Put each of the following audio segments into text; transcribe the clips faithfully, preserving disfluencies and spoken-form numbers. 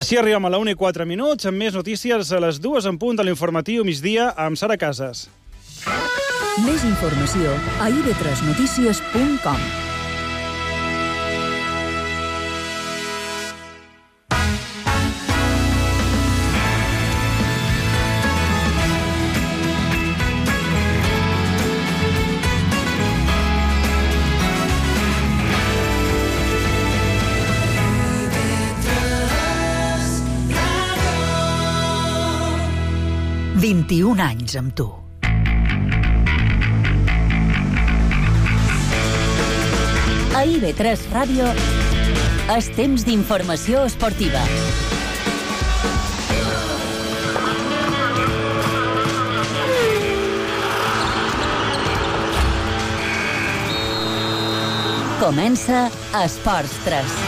Així arribem a la una i quatre minuts, amb més notícies a les dues en punt de l'informatiu migdia amb Sara Casas. Més informació a i be tres notícies punt com. vint-i-un anys amb tu. A i be tres Ràdio és temps d'informació esportiva. Comença Esports tres.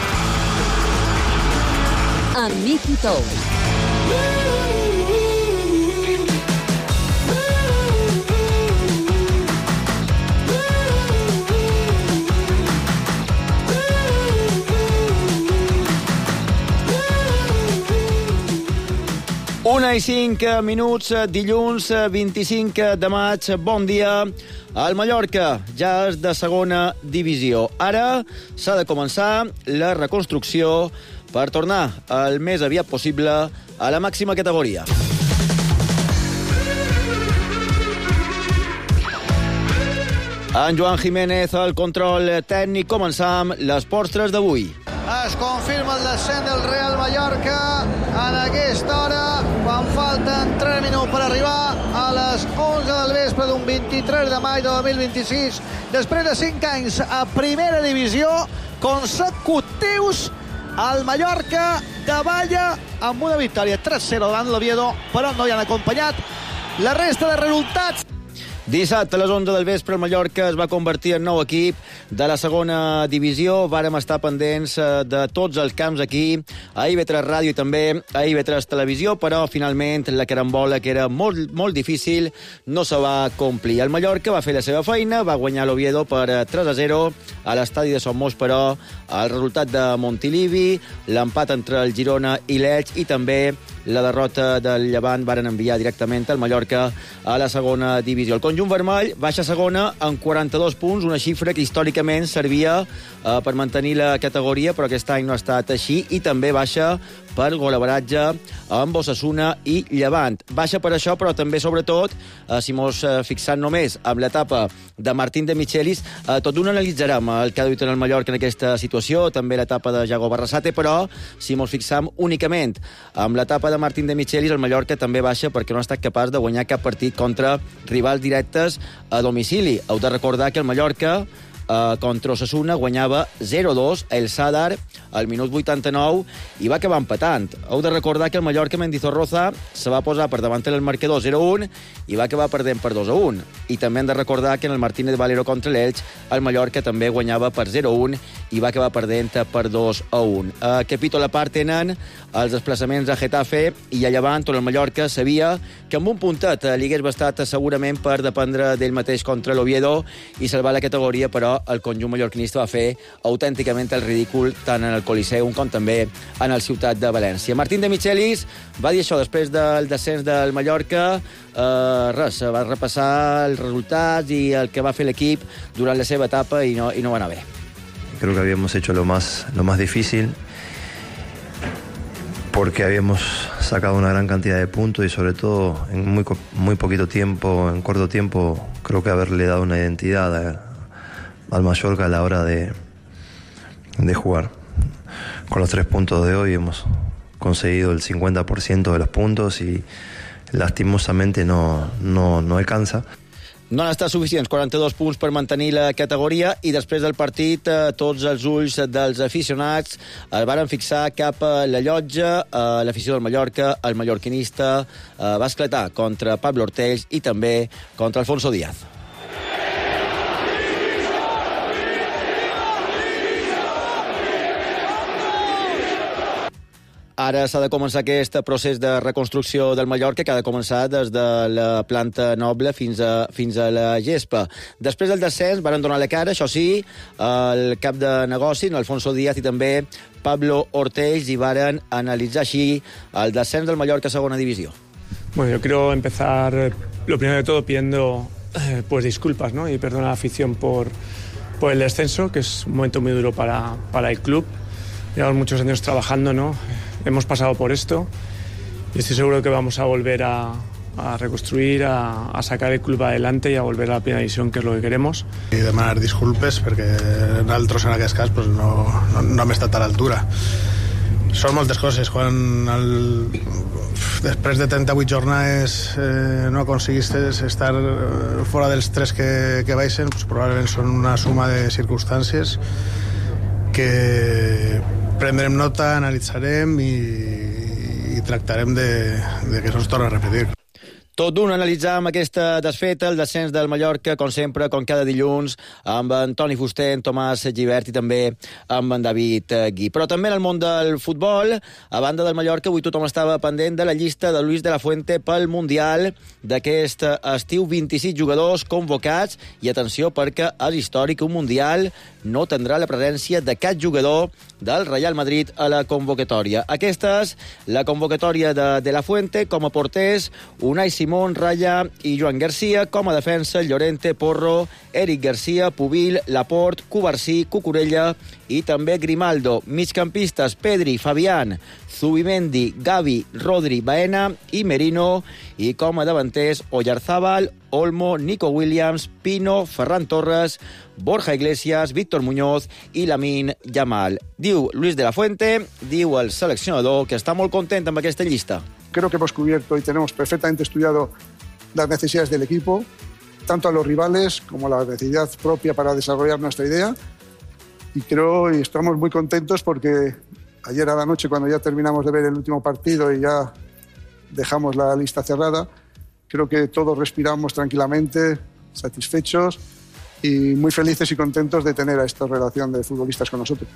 Amb Miki Tous. Una i cinc minuts, dilluns vint-i-cinc de maig. Bon dia. El Mallorca ja és de segona divisió. Ara s'ha de començar la reconstrucció per tornar el més aviat possible a la màxima categoria. En Joan Jiménez, el control tècnic. Començam l'Esports tres d'avui. Es confirma el descens del Real Mallorca en aquesta hora, quan falten tres minuts per arribar a les onze del vespre d'un vint-i-tres de maig de dos mil vint-i-sis. Després de cinc anys a primera divisió consecutius, el Mallorca davalla amb una victòria tres a zero davant l'Oviedo, però no hi han acompanyat la resta de resultats. Dissabte a les onze del vespre el Mallorca es va convertir en nou equip de la segona divisió. Vàrem estar pendents de tots els camps aquí, a i be tres Ràdio i també a i be tres Televisió, però finalment la carambola, que era molt, molt difícil, no se va complir. El Mallorca va fer la seva feina, va guanyar l'Oviedo per tres a zero a l'estadi de Somos, però el resultat de Montilivi, l'empat entre el Girona i l'Elx i també la derrota del Llevant varen enviar directament el Mallorca a la segona divisió. El conjunt vermell baixa a segona amb quaranta-dos punts, una xifra que històricament servia eh, per mantenir la categoria, però aquest any no ha estat així, i també baixa per golaveratge amb Osasuna i Llevant. Baixa per això, però també, sobretot, eh, si mos eh, fixant només amb l'etapa de Martín de Michelis, eh, tot d'un analitzarem el que ha duit en el Mallorca en aquesta situació, també l'etapa de Jago Barrasate, però si mos fixam únicament amb l'etapa de Martín de Michelis, el Mallorca també baixa perquè no ha estat capaç de guanyar cap partit contra rivals directes a domicili. Heu de recordar que el Mallorca Uh, contra Osasuna guanyava zero a dos el Sadar al minut vuitanta-nou i va acabar empatant. Heu de recordar que el Mallorca Mendizorroza se va posar per davant el marcador zero a un i va acabar perdent per dos a un. I també hem de recordar que en el Martínez Valero contra l'Elx el Mallorca també guanyava per zero a un i va acabar perdent per dos a un. Uh, capítol a part tenen els desplaçaments a Getafe i a Llevant, on el Mallorca sabia que amb un puntet li hagués bastat segurament per dependre d'ell mateix contra l'Oviedo i salvar la categoria, però el conjunt mallorquinista va fer autènticament el ridícul tant en el Coliseum com també en el Ciutat de València. Martín de Michelis va dir això després del descens del Mallorca. Uh, res, va repassar els resultats i el que va fer l'equip durant la seva etapa i no, i no va anar bé. Creo que habíamos hecho lo más, lo más difícil porque habíamos sacado una gran cantidad de puntos y sobre todo en muy, muy poquito tiempo, en corto tiempo, creo que haberle dado una identidad a, al Mallorca a la hora de, de jugar. Con los tres puntos de hoy hemos conseguido el cincuenta por ciento de los puntos y lastimosamente no, no, no alcanza. No han estat suficients quaranta-dos punts per mantenir la categoria i després del partit eh, tots els ulls dels aficionats el varen fixar cap a la llotja. Eh, l'afició del Mallorca, el mallorquinista, eh, va esclatar contra Pablo Ortells i també contra Alfonso Díaz. Ara s'ha de començar aquest procés de reconstrucció del Mallorca, que ha de començar des de la planta noble fins a, fins a la gespa. Després del descens van donar la cara, això sí, el cap de negoci, Alfonso Díaz, i també Pablo Ortells, i varen analitzar així el descens del Mallorca a segona divisió. Bueno, yo quiero empezar, lo primero de todo, pidiendo eh, pues disculpas, ¿no? Y perdonar a la afición por, por el descenso, que es un momento muy duro para, para el club. Llevamos muchos años trabajando, ¿no? Hemos pasado por esto y estoy seguro que vamos a volver a, a reconstruir, a, a sacar el club adelante y a volver a la primera división, que es lo que queremos. I demanar disculpes perquè nosaltres en aquest cas pues, no, no, no hem estat a l'altura. Són moltes coses. Quan el, després de trenta-vuit jornades eh, no aconseguiste estar fora dels tres que, que baixen, pues, probablement són una suma de circumstàncies que prendrem nota, analitzarem i, i tractarem de, de que no es torni a repetir. Tot d'un analitzar amb aquesta desfeta el descens del Mallorca, com sempre, com cada dilluns, amb en Toni Fuster, en Tomàs Gibert i també amb en David Gui. Però també en el món del futbol, a banda del Mallorca, avui tothom estava pendent de la llista de Luis de la Fuente pel Mundial d'aquest estiu, vint-i-sis jugadors convocats, i atenció perquè és històric, un Mundial no tindrà la presència de cap jugador del Real Madrid a la convocatòria. Aquesta és la convocatòria de De la Fuente, com a porters, Unai Simón, Raya i Joan Garcia, com a defensa, Llorente, Porro, Eric Garcia, Pubil, Laporte, Cubarsí, Cucurella i també Grimaldo. Migcampistes, Pedri, Fabián, Zubimendi, Gavi, Rodri, Baena i Merino, i com a davanters, Oyarzábal, Olmo, Nico Williams, Pino, Ferran Torres, Borja Iglesias, Víctor Muñoz i Lamine Yamal. Diu Luis de la Fuente, diu el seleccionador, que està molt content amb aquesta llista. Creo que hemos cubierto y tenemos perfectamente estudiado las necesidades del equipo, tanto a los rivales como a la necesidad propia para desarrollar nuestra idea. Y creo y estamos muy contentos porque ayer a la noche, cuando ya terminamos de ver el último partido y ya dejamos la lista cerrada, creo que todos respiramos tranquilamente, satisfechos y muy felices y contentos de tener a esta relación de futbolistas con nosotros.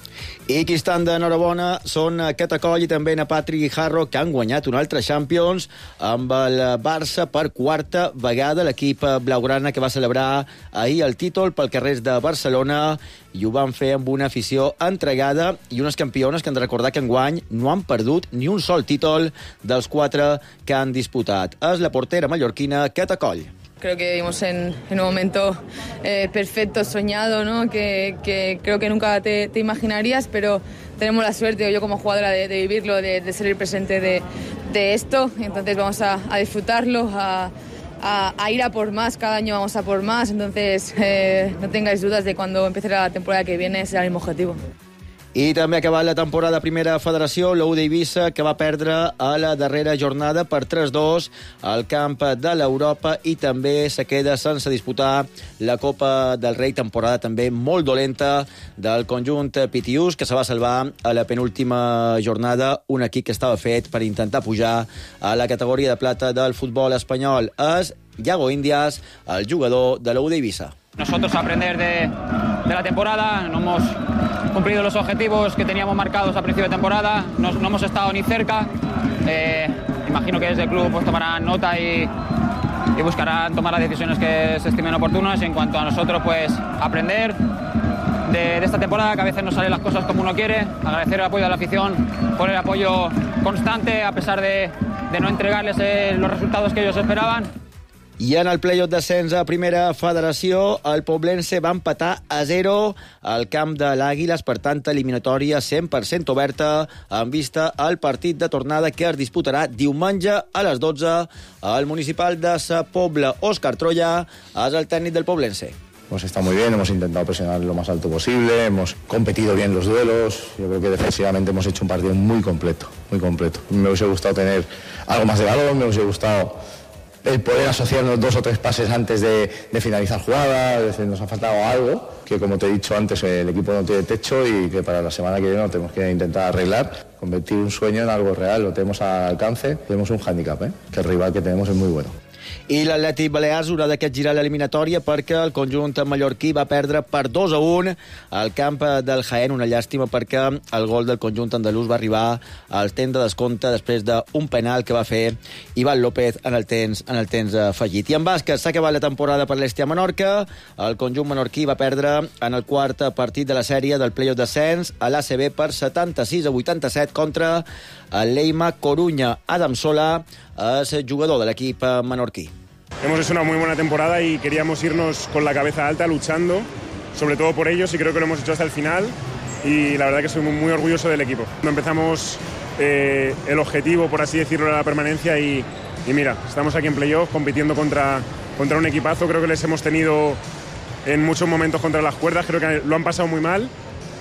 I qui estan d'enhorabona són Catacoll i també na Patrick i Harro, que han guanyat un altre Champions amb el Barça per quarta vegada. L'equip blaugrana que va celebrar ahir el títol pel carrers de Barcelona, i ho van fer amb una afició entregada i unes campiones que han de recordar que enguany no han perdut ni un sol títol dels quatre que han disputat. És la portera mallorquina Catacoll. Creo que vivimos en, en un momento eh, perfecto, soñado, ¿no? que, que creo que nunca te, te imaginarías, pero tenemos la suerte, yo como jugadora, de, de vivirlo, de, de ser el presente de, de esto. Entonces vamos a, a disfrutarlo, a, a, a ir a por más, cada año vamos a por más. Entonces eh, no tengáis dudas de cuando empiece la temporada que viene será el mismo objetivo. I també ha acabat la temporada a Primera Federació, l'U d'Eivissa, que va perdre a la darrera jornada per tres dos al camp de l'Europa, i també se queda sense disputar la Copa del Rei, temporada també molt dolenta del conjunt pitiús, que se va salvar a la penúltima jornada, un equip que estava fet per intentar pujar a la categoria de plata del futbol espanyol. És Yago Indias, el jugador de l'U d'Eivissa. Nosotros aprender de, de la temporada, no hemos cumplido los objetivos que teníamos marcados a principio de temporada, no, no hemos estado ni cerca. Eh, imagino que desde el club pues, tomarán nota y, y buscarán tomar las decisiones que se estimen oportunas. En cuanto a nosotros, pues aprender de, de esta temporada, que a veces no salen las cosas como uno quiere, agradecer el apoyo de la afición por el apoyo constante, a pesar de, de no entregarles eh, los resultados que ellos esperaban. I en el play-off d'ascens a Primera Federació, el Poblense va empatar a zero al camp de l'Àguiles, per tant, eliminatòria cent per cent oberta, en vista al partit de tornada que es disputarà diumenge a les dotze al municipal de Sa Pobla. Òscar Troya és el tècnic del Poblense. Hemos estado muy bien, hemos intentado presionar lo más alto posible, hemos competido bien los duelos. Yo creo que defensivamente hemos hecho un partido muy completo, muy completo. Me hubiese gustado tener algo más de balón, me hubiese gustado el poder asociarnos dos o tres pases antes de, de finalizar jugadas. Es decir, nos ha faltado algo que, como te he dicho antes, el equipo no tiene techo y que para la semana que viene lo tenemos que intentar arreglar, convertir un sueño en algo real. Lo tenemos al alcance, tenemos un hándicap, ¿eh? que el rival que tenemos es muy bueno. I l'Atlètic Balears haurà de capgirar l'eliminatòria perquè el conjunt mallorquí va perdre per dos a un al camp del Jaén. Una llàstima perquè el gol del conjunt andalús va arribar al temps de descompte després d'un penal que va fer Iván López en el temps, en el temps afegit. I en bàsquet s'ha acabat la temporada per l'Estia Menorca. El conjunt menorquí va perdre en el quart partit de la sèrie del play-off d'ascens a l'A C B per setanta-sis a vuitanta-set contra el Leima Coruña. Adam Sola es jugador de l'equip menorquí. Hemos hecho una muy buena temporada y queríamos irnos con la cabeza alta, luchando, sobre todo por ellos, y creo que lo hemos hecho hasta el final, y la verdad que soy muy, muy orgulloso del equipo. Empezamos eh, el objetivo, por así decirlo, era la permanencia, y, y mira, estamos aquí en playoff compitiendo contra, contra un equipazo. Creo que les hemos tenido en muchos momentos contra las cuerdas, creo que lo han pasado muy mal,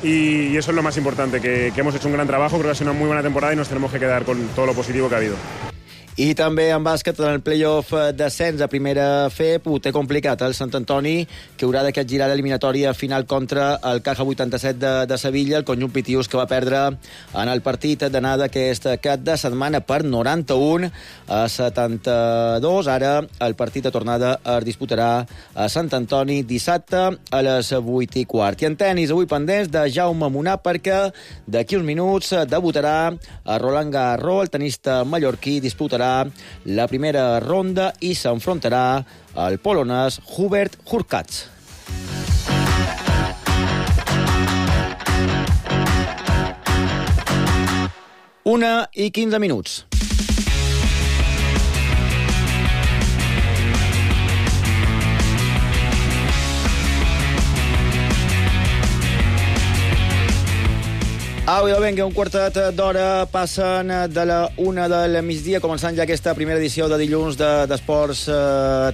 y, y eso es lo más importante, que, que hemos hecho un gran trabajo. Creo que ha sido una muy buena temporada y nos tenemos que quedar con todo lo positivo que ha habido. I també en bàsquet, en el play-off d'ascens a primera F E P, ho té complicat el Sant Antoni, que haurà de capgirar l'eliminatòria final contra el Caja vuitanta-set de, de Sevilla, el conjunt pitius que va perdre en el partit d'anada aquest cap de setmana per noranta-un a setanta-dos. Ara el partit de tornada es disputarà a Sant Antoni dissabte a les vuit i quart. I en tenis, avui pendents de Jaume Munar, perquè d'aquí uns minuts debutarà a Roland Garros. El tenista mallorquí disputarà la primera ronda i s'enfrontarà al polonès Hubert Hurkacz. Una i quinze minuts. Au, idò, vinga, un quartet d'hora passen de la una del migdia, començant ja aquesta primera edició de dilluns d'Esports de,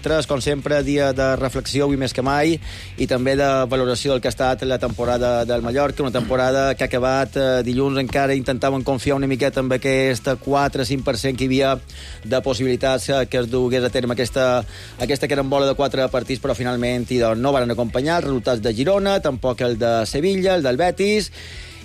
tres, com sempre, dia de reflexió, avui més que mai, i també de valoració del que ha estat la temporada del Mallorca, una temporada que ha acabat eh, dilluns. Encara intentaven confiar una miqueta amb aquest quatre a cinc per cent que hi havia de possibilitats que es dugués a terme aquesta, aquesta carambola de quatre partits, però finalment i, doncs, no van acompanyar els resultats de Girona, tampoc el de Sevilla, el del Betis.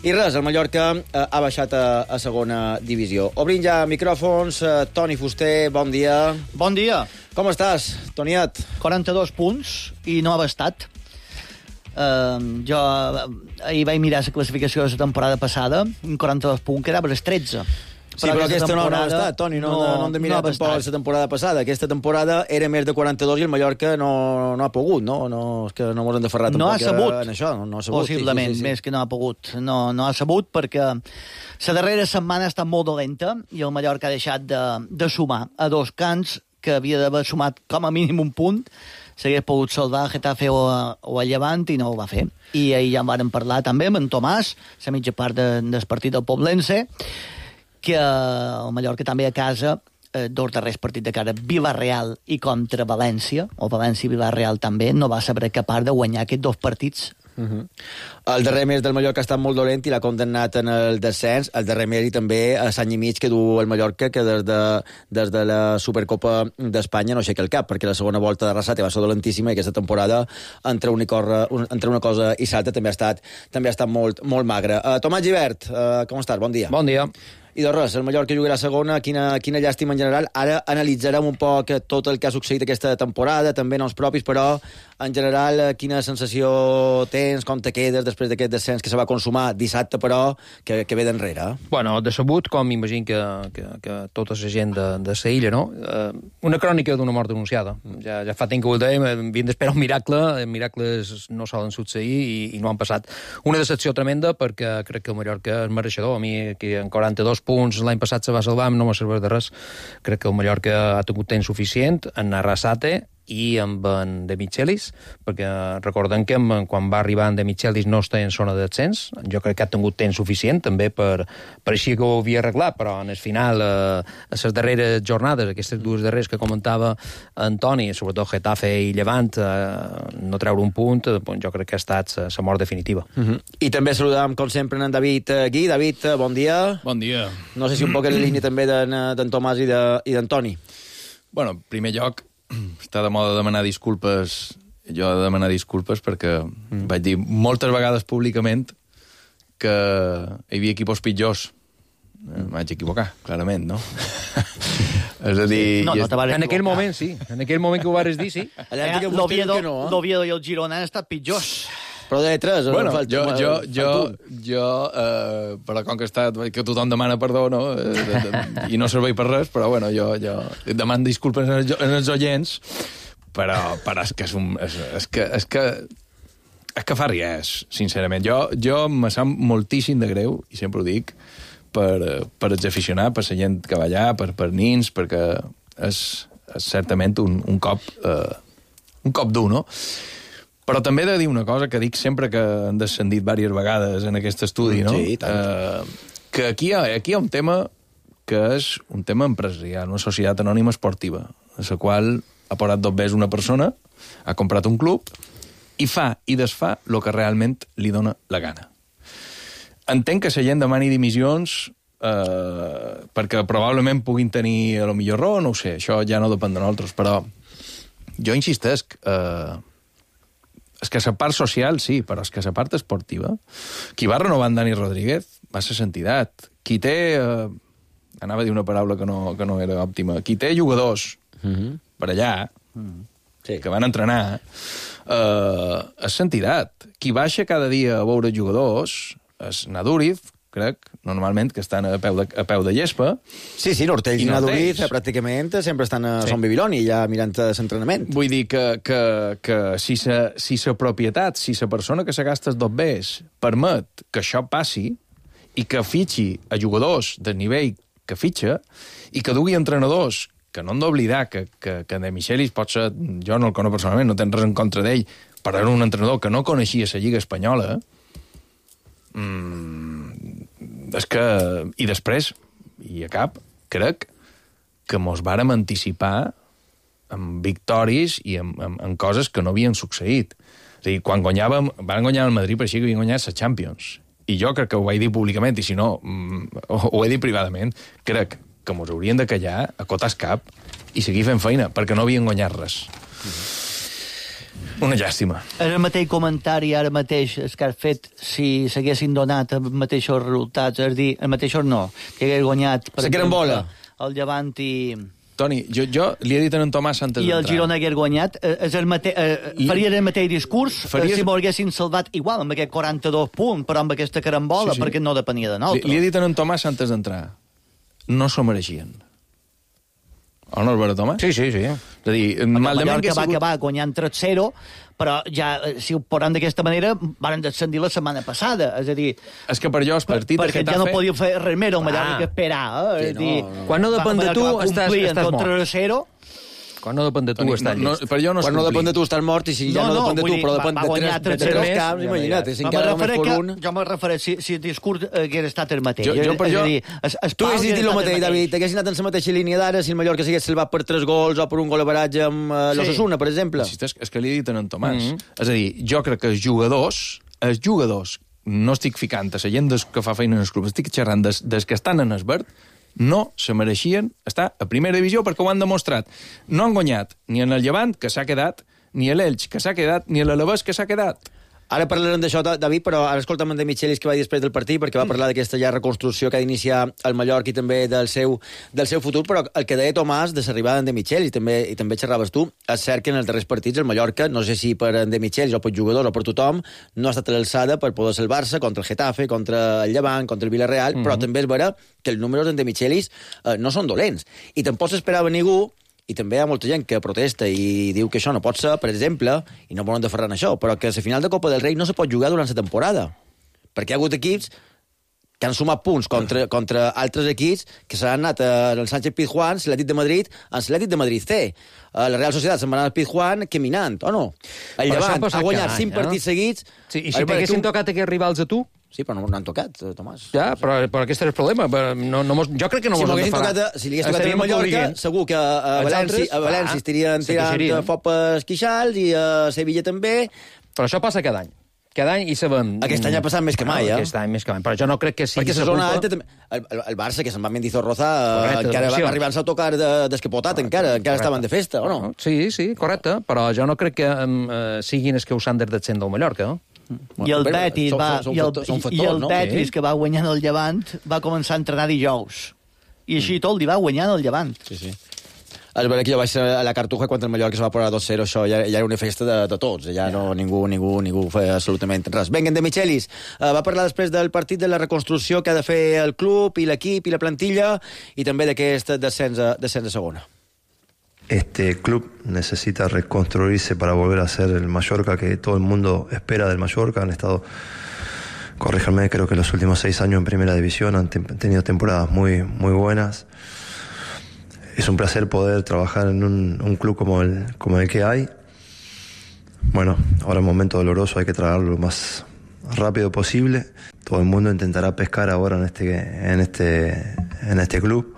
I res, el Mallorca eh, ha baixat a, a segona divisió. Obrim ja micròfons. Eh, Toni Fuster, bon dia. Bon dia. Com estàs, Toniat? quaranta-dos punts i no ha bastat. Uh, jo ahir vaig mirar la classificació de la temporada passada, un quaranta-dos punts, quedava als tretze. Sí, però, però aquesta no, no ha estat, Toni, no, no, no hem de mirar no tampoc la temporada passada. Aquesta temporada era més de quaranta-dos i el Mallorca no, no ha pogut, no? no és que no ens hem de ferrar tampoc no ha sabut, en això. No, no ha sabut, possiblement, sí, sí, sí. Més que no ha pogut. No, no ha sabut perquè la darrera setmana ha estat molt dolenta i el Mallorca ha deixat de, de sumar a dos cants que havia d'haver sumat com a mínim un punt. S'hagués pogut salvar a Getafe o a, o a Llevant i no ho va fer. I ahir ja en vàrem parlar també amb en Tomàs, la mitja part de, del partit del Poblense, que el Mallorca també a casa, eh, dos darrers partits de cara, Villarreal i contra València, o València i Villarreal també, no va saber capaç de guanyar aquests dos partits. Uh-huh. El darrer mes del Mallorca ha estat molt dolent i l'ha condemnat en el descens. El darrer mes i també a l'any i mig que du el Mallorca, que des de, des de la Supercopa d'Espanya no aixeca el cap, perquè la segona volta de Arrasate va ser dolentíssima i aquesta temporada entre una, corre, entre una cosa i l'altra també ha estat, també ha estat molt, molt magra. Uh, Tomàs Gibert, uh, com estàs? Bon dia. Bon dia. I de res, el Mallorca jugarà segona, quina, quina llàstima en general. Ara analitzarem un poc tot el que ha succeït aquesta temporada, també noms propis, però en general quina sensació tens, com te quedes després d'aquest descens que se va consumar dissabte, però que, que ve d'enrere? Bueno, decebut, com m'imagino que, que, que tota la gent de, de la illa, no? Uh, una crònica d'una mort anunciada. Ja, ja fa temps que ho dèiem, havien d'esperar un miracle, miracles no solen succeir i, i no han passat. Una decepció tremenda perquè crec que el Mallorca és mereixedor. A mi, que en quaranta-dos punts l'any passat se va salvar, no m'ha servit de res. Crec que el Mallorca ha tingut temps suficient en Arrasate i amb en De Michelis, perquè recordem que quan va arribar en De Michelis no està en zona d'ascens. Jo crec que ha tingut temps suficient també per, per així que ho havia arreglat, però en el final, eh, a les darreres jornades, aquestes dues darreres que comentava Antoni, sobretot Getafe i Llevant, eh, no treure un punt, eh, jo crec que ha estat la mort definitiva. Uh-huh. I també saludam, com sempre, en David Gui. David, bon dia. Bon dia. No sé si un poc en línia també d'en Tomàs i d'Antoni. Bueno, en primer lloc, està de moda demanar disculpes, jo he de demanar disculpes perquè mm. vaig dir moltes vegades públicament que hi havia equipos pitjors M'haig equivocar, clarament, no? És a dir... No, no te vas En aquell moment, sí. En aquell moment que ho vares dir, sí. Eh, L'Oviedo no, eh? i el Girona han estat pitjors. Però de tres, bueno, no jo, jo, jo, jo eh, però com que, està, que tothom demana perdó, no? Eh, de, de, i no servei per res, però bueno, jo, jo demano disculpes en els, en els oients, però, però és que és un... És, és que, és que és que fa ries, sincerament. Jo, jo me sap moltíssim de greu, i sempre ho dic, per, per els aficionats, per la gent que va allà, per, per nins, perquè és, és certament un, un cop eh, un cop dur, no? Però també he de dir una cosa que dic sempre que han descendit diverses vegades en aquest estudi, no? Sí, tant. Eh, que aquí hi, ha, aquí hi ha un tema que és un tema empresarial, una societat anònima esportiva, a la qual ha posat dos vegades una persona, ha comprat un club i fa i desfà el que realment li dona la gana. Entenc que la gent demani dimissions eh, perquè probablement puguin tenir a lo millor raó, no ho sé, això ja no depèn de nosaltres, però jo insistesc, eh, és que la part social sí, però és que la part esportiva, qui va renovar en Dani Rodríguez va ser l'entitat. Qui té, eh, anava a dir una paraula que no, que no era òptima, qui té jugadors Mm-hmm. per allà, Mm-hmm. Sí. que van entrenar, eh, és l'entitat. Qui baixa cada dia a veure jugadors és Naduriz, crec, normalment, que estan a peu de, a peu de llespa. Sí, sí, l'Hortells i Naduriz pràcticament sempre estan a Sí. Son Bibiloni, ja mirant l'entrenament. Vull dir que, que, que si sa si sa propietat, si la persona que se gasta els dos bes permet que això passi i que fitxi a jugadors del nivell que fitxa i que dugui entrenadors, que no hem d'oblidar que, que, que De Michelis pot ser, jo no el conec personalment, no tens res en contra d'ell, però era un entrenador que no coneixia la Lliga Espanyola, mm, és que... I després, i a cap, crec que mos vàrem anticipar amb victòries i amb, amb, amb coses que no havien succeït. És a dir, quan guanyàvem, van guanyar el Madrid, per així que havien guanyat la Champions. I jo crec que ho vaig dir públicament, i si no, mm, ho, ho he dit privadament, crec que mos haurien de callar, acotar el cap i seguir fent feina, perquè no havien guanyat res. Una llàstima. És el mateix comentari ara mateix el que has fet si s'haguessin donat els mateixos resultats, és a dir, els mateixos no, que hagués guanyat per Se queden bola. el Llevant i... Toni, jo, jo li he dit a en Tomàs antes I el d'entrar. Girona hagués guanyat, eh, és el mate... eh, faria el mateix discurs Faries... eh, si m'ho haguessin salvat igual, amb aquest quaranta-dos punts, però amb aquesta carambola, Sí, sí. perquè no depenia de Li, nosaltres. li he dit a en Tomàs antes d'entrar. No s'ho mereixien. O no és vera, Tomàs? Sí, sí, sí. És a dir, Perquè malament Mallorca que va ha sigut... acabar guanyant tres zero, però ja, eh, si ho posem d'aquesta manera, van descendir la setmana passada. És a dir... És que per jo el partit de perquè Getafe... ja no podia fer res més, el Mallorca Ah. que esperar. Eh? Sí, És dir, no, no. Quan no depèn de va- tu, va estàs- complir estàs en tot mort. tres zero. Quan no depèn de tu, Toni, estàs no, llest. per jo no és Quan no complir. depèn de tu estàs mort, i si ja no, depèn de vull tu, dir, però va- depèn va de guanyar tres, de tres tres zero. camps, Ja, imagina't, ja. si No, encara me només refereix fos que, un... jo me refereix si, si el discurs hagués estat el mateix. Jo- jo per és jo- a dir, es, es Tu haguessis dit el mateix, David, mateix. haguessis anat en la mateixa línia d'ara si el Mallorca s'hagués salvat per tres gols o per un gol a baratge amb uh, Sí. l'Osasuna, per exemple. Insisteix, és que li he dit a en Tomàs. Mhm. És a dir, jo crec que els jugadors, els jugadors, no estic ficant a la gent des que fa feina en els clubs, estic xerrant des, des que estan en el verd, no se mereixien estar a primera divisió perquè ho han demostrat. No han guanyat ni en el Llevant, que s'ha quedat, ni a l'Elx, que s'ha quedat, ni a l'Alavés, que s'ha quedat. Ara parlarem d'això, David, però ara escolta'm en De Michelis que va dir després del partit, perquè va parlar d'aquesta ja reconstrucció que ha d'iniciar el Mallorca i també del seu, del seu futur, però el que deia Tomàs de l'arribada en De Michelis, i també, i també xerraves tu, és cert que en els darrers partits el Mallorca, no sé si per en De Michelis o per jugadors o per tothom, no ha estat a l'alçada per poder salvar-se contra el Getafe, contra el Llevant, contra el Villarreal, mm -hmm. però també és vera que els números en De Michelis eh, no són dolents. I tampoc s'esperava ningú, i també hi ha molta gent que protesta i diu que això no pot ser, per exemple, i no volen de Ferran això, però que a la final de Copa del Rei no se pot jugar durant la temporada, perquè hi ha hagut equips que han sumat punts contra, contra altres equips que s'han anat al Sánchez Pizjuán, l'Atlètic de Madrid, en l'Atlètic de Madrid C. La Real Societat se'n va anar al Pizjuán caminant, o no? El Però això ha Llevant passat ha guanyat cada cinc any, eh? partits seguits. Sí, I A si veure, t'haguessin tu- tocat aquests rivals a tu? Sí, però no, no han tocat, Tomàs. Ja, però, però aquest és el problema. Però No, no mos, jo crec que no si mos han de m'haguessin farà. tocat, a- si li hagués tocat a Estaríem Mallorca, aplaudint. segur que a, a Els València, altres, a València ah, estarien se tirant queixarien. fopes queixals i a Sevilla també. Però això passa cada any. Cada any i sabem... Aquest any ha passat més que mai, eh? Aquest any més que mai, però jo no crec que sigui... Perquè la zona alta, també- el, el, el Barça, que se'n va amb Mendizorroza, Correcte, encara va d'atenció. arribar-se a tocar de, descapotat, encara, encara estaven de festa, o no? Sí, sí, correcte, però jo no crec que um, uh, siguin els que ho s'han del del Mallorca, no? I el Betis, són, va, són, i el, són, són factors, i el no? Betis, Sí. que va guanyant el Llevant, va començar a entrenar dijous. I així tot li va guanyant el Llevant. Sí, sí. És veritat que jo vaig ser a la Cartuja quan el Mallorca es va posar dos zero, això ja, ja era una festa de, de tots, ja no, ningú, ningú, ningú feia absolutament res. Vinga, en De Michelis uh, va parlar després del partit de la reconstrucció que ha de fer el club i l'equip i la plantilla i també d'aquest descens a, descens a segona. Este club necesita reconstruirse para volver a ser el Mallorca que todo el mundo espera del Mallorca. Han estado, corríjanme, creo que los últimos seis años en primera división han te- tenido temporadas muy, muy buenas. Es un placer poder trabajar en un, un club como el, como el que hay. Bueno, ahora es un momento doloroso, hay que trabajarlo lo más rápido posible. Todo el mundo intentará pescar ahora en este, en este, en este club.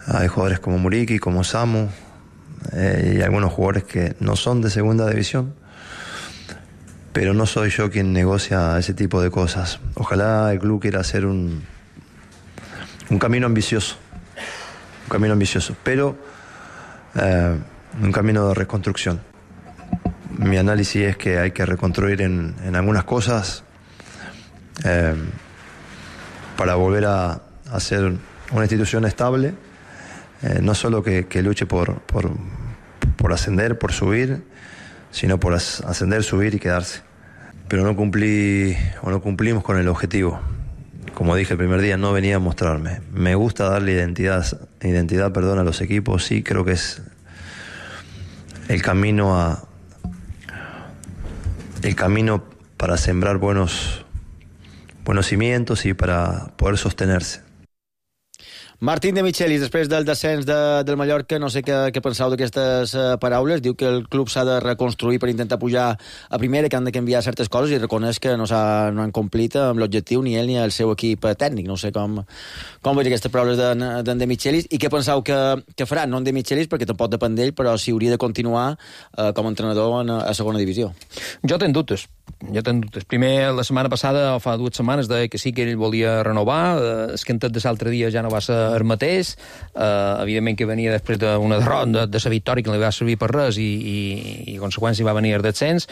Hay jugadores como Muriqui, como Samu, eh, y algunos jugadores que no son de segunda división. Pero no soy yo quien negocia ese tipo de cosas. Ojalá el club quiera hacer un, un camino ambicioso. Un camino ambicioso, pero eh, un camino de reconstrucción. Mi análisis es que hay que reconstruir en, en algunas cosas eh, para volver a, a ser una institución estable, eh, no solo que, que luche por, por, por ascender, por subir, sino por as, ascender, subir y quedarse. Pero no cumplí o no cumplimos con el objetivo. Como dije el primer día, no venía a mostrarme. Me gusta darle identidad, identidad perdón, a los equipos. Sí, creo que es el camino a el camino para sembrar buenos, buenos cimientos y para poder sostenerse. Martín De Michelis, després del descens de, del Mallorca, no sé què, què penseu d'aquestes uh, paraules. Diu que el club s'ha de reconstruir per intentar pujar a primera, que han de canviar certes coses i reconeix que no, no han complit amb l'objectiu ni ell ni el seu equip tècnic. No sé com, com veig aquestes paraules d'en de, de Michelis i què penseu que, que farà, no en De Michelis, perquè tampoc depèn d'ell, però si hauria de continuar uh, com a entrenador en, a segona divisió. Jo tenc dubtes. Jo tenc dubtes. Primer, la setmana passada, o fa dues setmanes, deia que sí que ell volia renovar. Eh, es que en tot de l'altre dia ja no va ser el mateix. Eh, evidentment que venia després d'una derrota, de, de la victòria, que no li va servir per res i, i, i a conseqüència va venir el descens.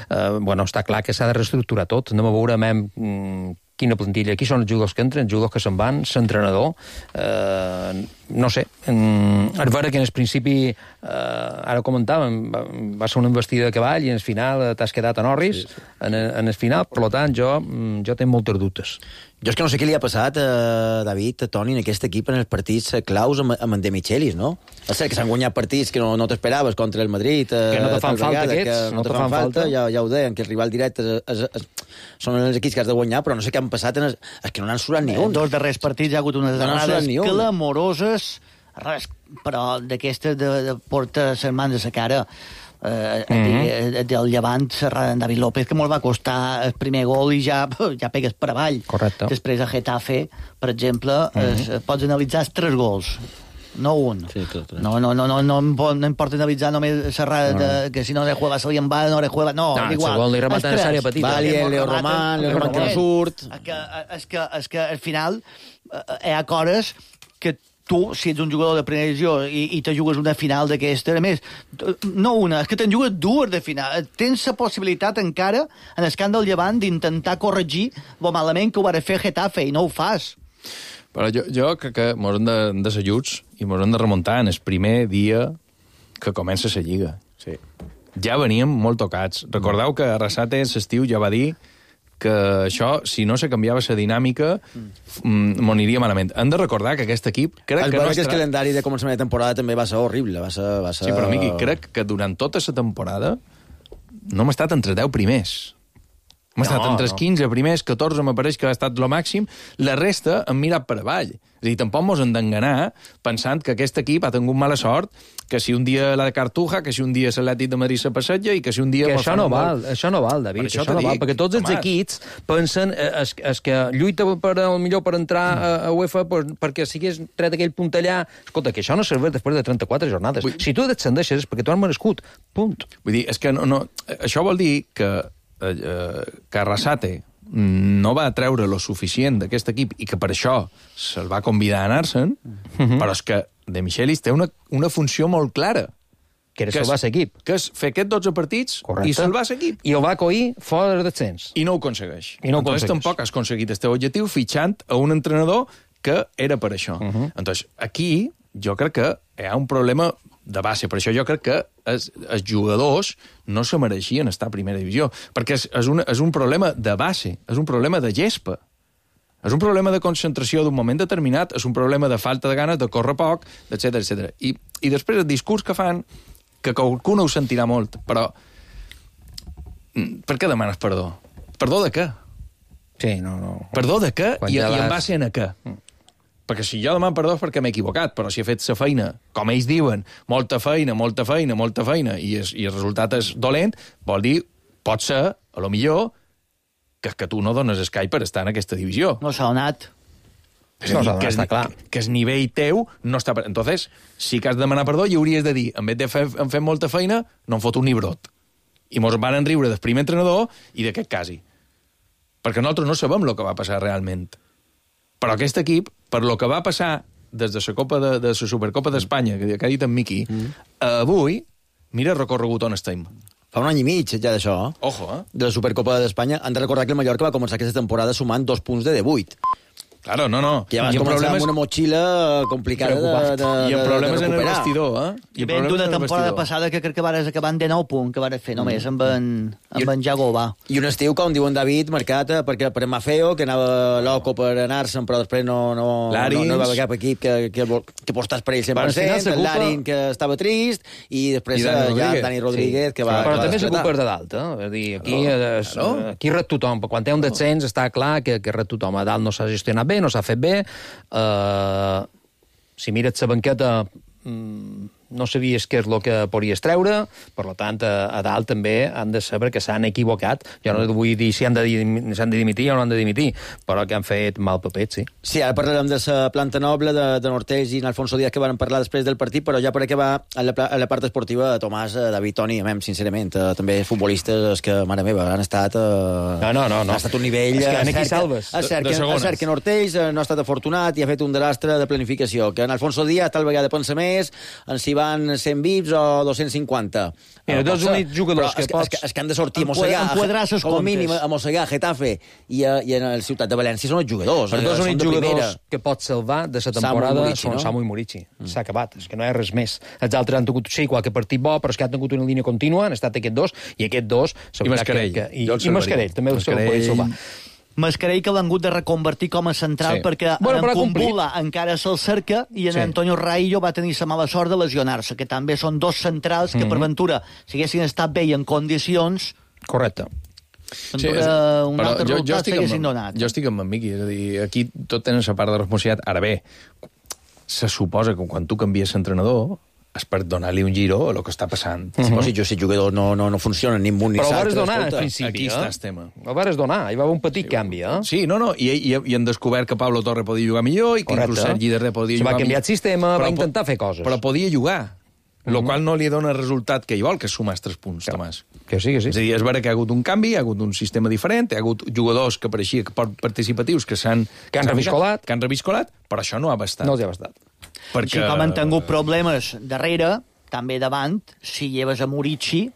Eh, bueno, està clar que s'ha de reestructurar tot. Anem a veure mem, quina plantilla. Qui són els jugadors que entren, els jugadors que se'n van, l'entrenador. Eh, no sé. És vera que en el principi, eh, ara ho comentàvem, va, va ser una investida de cavall i en el final t'has quedat a Norris, sí, sí. En, en el final. Per tant, jo, jo tinc moltes dubtes. Jo és que no sé què li ha passat a David, a Toni, en aquest equip en els partits claus amb, amb en De Michelis, no? És cert que s'han guanyat partits que no, no t'esperaves contra el Madrid. Que no te fan falta vegada, aquests. Que no, no te fan, fan falta, falta. Ja, ja ho deien, que el rival directe és, és, és, són els equips que has de guanyar, però no sé què han passat, en els, és que no n'han surat ni un. En dos darrers partits hi ha hagut unes no errades clamoroses, res, però d'aquestes de, de portar les mans a la cara. Eh, mm-hmm. del Llevant, en David López, que molt va costar el primer gol i ja, ja pegues per avall. Correcte. Després a Getafe, per exemple, mm-hmm. es, pots analitzar els tres gols, no un. Sí, tot, tot. No, no, no, no, no, no importa analitzar només s'errada no. de, que si no le juega salien va, no le juega... No, no igual. El segon li remata en l'àrea petita. Vali, el Leo Román, Leo Román que no surt. És que, és que, és que al final hi ha coses que tu, si ets un jugador de primera divisió i, i te jugues una final d'aquesta, a més, no una, és que te'n jugues dues de final. Tens la possibilitat encara, en el camp del Llevant, d'intentar corregir lo malament que ho va fer Getafe, i no ho fas. Però jo, jo crec que mos hem de, de ser lluts i mos hem de remuntar en el primer dia que comença la Lliga. Sí. Ja veníem molt tocats. Recordeu que Arrasate l'estiu ja va dir que això, si no se canviava la dinàmica, mm. m'ho aniria malament. Hem de recordar que aquest equip... Crec el que no estarà... estarà... el calendari de començament de temporada també va ser horrible. Va ser, va ser... Sí, però, Miqui, crec que durant tota la temporada no hem estat entre deu primers. Hem no, estat entre els quinze primers, catorze m'apareix que ha estat lo màxim, la resta hem mirat per avall. És a dir, tampoc mos hem d'enganar pensant que aquest equip ha tingut mala sort, que si un dia la de Cartuja, que si un dia l'Atlètic de Madrid se passeja i que si un dia... Que això no val, això no val, David, això, això no val, perquè tots els equips pensen es, es que lluita per, el millor per entrar a, a UEFA pues, perquè sigués tret aquell punt allà. Escolta, que això no serveix després de trenta-quatre jornades. Vull... Si tu descendeixes és perquè tu has merescut, punt. Vull dir, és que no, no, això vol dir que eh, que Arrasate no va treure lo suficient d'aquest equip i que per això se'l va convidar a anar-se'n, mm-hmm. però és que De Michelis té una, una funció molt clara, que era salvar l'equip. Que és fer aquests dotze partits Correcte. i salvar l'equip. I el va coir fora del descens. I no ho aconsegueix. I no ho Entonces aconsegueix. tampoc has aconseguit el teu objectiu fitxant a un entrenador que era per això. Uh -huh. Entonces, aquí jo crec que hi ha un problema de base. Per això jo crec que els, els jugadors no se mereixien estar a primera divisió, perquè és, és, un, és un problema de base, és un problema de gespa. És un problema de concentració d'un moment determinat, és un problema de falta de ganes, de córrer poc, etcètera, etcètera. I, I després el discurs que fan, que qualcú no ho sentirà molt, però per què demanes perdó? Perdó de què? Sí, no, no. Perdó de què Quan i, ja i en vas- base a què? Mm. Perquè si jo demano perdó és perquè m'he equivocat, però si he fet la feina, com ells diuen, molta feina, molta feina, molta feina, i, és, i el resultat és dolent, vol dir, pot ser, a lo millor, que, que tu no dones escai per estar en aquesta divisió. No s'ha donat. És a dir, que, és, que, que el nivell teu no està... Per... Entonces, sí que has de demanar perdó i hauries de dir, en vez de fer, en fer molta feina, no em foto un nibrot. I mos van riure del primer entrenador i d'aquest casi. Perquè nosaltres no sabem el que va passar realment. Però aquest equip, per lo que va passar des de la Copa de, de la Supercopa d'Espanya, que, que ha dit en Miqui, mm. avui, mira el recorregut on estem. Fa un any i mig, ja d'això. Ojo, eh? De la Supercopa d'Espanya. Han de recordar que el Mallorca va començar aquesta temporada sumant dos punts de divuit. Claro, no, no. Que ja vas I el començar problema amb és- una motxilla complicada de, de, I el de, problema de és en el recuperar. vestidor, eh? I ven d'una temporada passada que crec que vares acabar de nou punts, que vares fer només amb en, amb en Jago va. I un estiu, com diu en David, marcat eh, perquè per Mafeo, que anava loco per anar-se'n, però després no, no, no, Larins. no hi va haver cap equip que, que, vol- que postàs per ell cent per Al final cent, el s'ocupa- Larin, que estava trist, i després I Dani eh, ja Rodríguez. Dani Rodríguez, Sí. que va... Però que va també esclatar. s'ocupa de dalt, eh? És dir, aquí, Claro, eh, es- claro. aquí ret tothom. Quan té un descens està clar que, que ret tothom. A dalt no s'ha gestionat bé, no s'ha fet bé. Uh, si mires la banqueta, mm, no sabies què és el que podries treure, per tant, a, a dalt també han de saber que s'han equivocat. Jo no vull dir si han de, dim- si han de dimitir o no han de dimitir, però que han fet mal papet, sí. Sí, ara parlarem de la planta noble de, de Nortells i en Alfonso Díaz, que van parlar després del partit, però ja per acabar, a la, pla- a la part esportiva, Tomàs, eh, David, Toni, a mi, sincerament, eh, també futbolistes que, mare meva, han estat... Eh, No, no, no, no. Ha estat un nivell... És que eh, en aquí cert salves. És cert de que, segones. és cert que Nortells eh, no ha estat afortunat i ha fet un desastre de planificació, que en Alfonso Díaz tal vegada pensa més, en si van cent vips o dos-cents cinquanta. Mira, Eh, dos pot ser, únics jugadors però que és, pots és, que, és que han de sortir a enquadrar- mossegar, enquadrar ses com a comptes. mínim a mossegar Getafe i, a, i en el Ciutat de València són els jugadors. Els eh, dos són únics de primera. jugadors que pots salvar de la Samu i temporada Murici, són no? Samu i Murici. S'ha acabat, és que no hi ha res més. Els altres han tingut, sí, qualque partit bo, però és que han tingut una línia contínua, han estat aquests dos, i aquests dos... I Mascarell. Que, que, i, Jo el I Mascarell, salvaria. també el Mascarell. podria salvar. Mascarell que l'han hagut de reconvertir com a central Sí. perquè Bueno, en però ha complit. Kumbula encara se'l cerca i en Sí. Antonio Raillo va tenir la mala sort de lesionar-se, que també són dos centrals que, per ventura, si haguessin estat bé i en condicions, Correcte. sí, ventura, un però altre jo, jo resultat estic s'haguessin amb, donat. jo estic amb en Miqui, és a dir, aquí tot tenen la part de responsabilitat. Ara bé, se suposa que quan tu canvies l'entrenador és per donar-li un giro a lo que està passant. Sí, però si jo si jugadors no, no, no funcionen ni un munt ni Però ho l'altre, vares donar, escolta. en principi, Aquí eh? està el tema. Ho vares donar, hi va haver un petit sí, canvi, eh? Sí, no, no, i, i, i han descobert que Pablo Torre podia jugar millor i que Correcte. inclús Sergi Darder podia Se va jugar canviar millor. el sistema, Però va po- intentar fer coses. Però podia jugar, Mhm. lo qual no li dona el resultat que ell vol, que és sumar els tres punts, Tomàs. Que sí, que sí. És a dir, és vera que hi ha hagut un canvi, hi ha hagut un sistema diferent, hi ha hagut jugadors que pareixia que pot- participatius que s'han... Que han s'han reviscolat. Que han reviscolat, però això no ha bastat. No els ha bastat. Perquè... Si com han tingut problemes darrere, també davant, si lleves a Murici,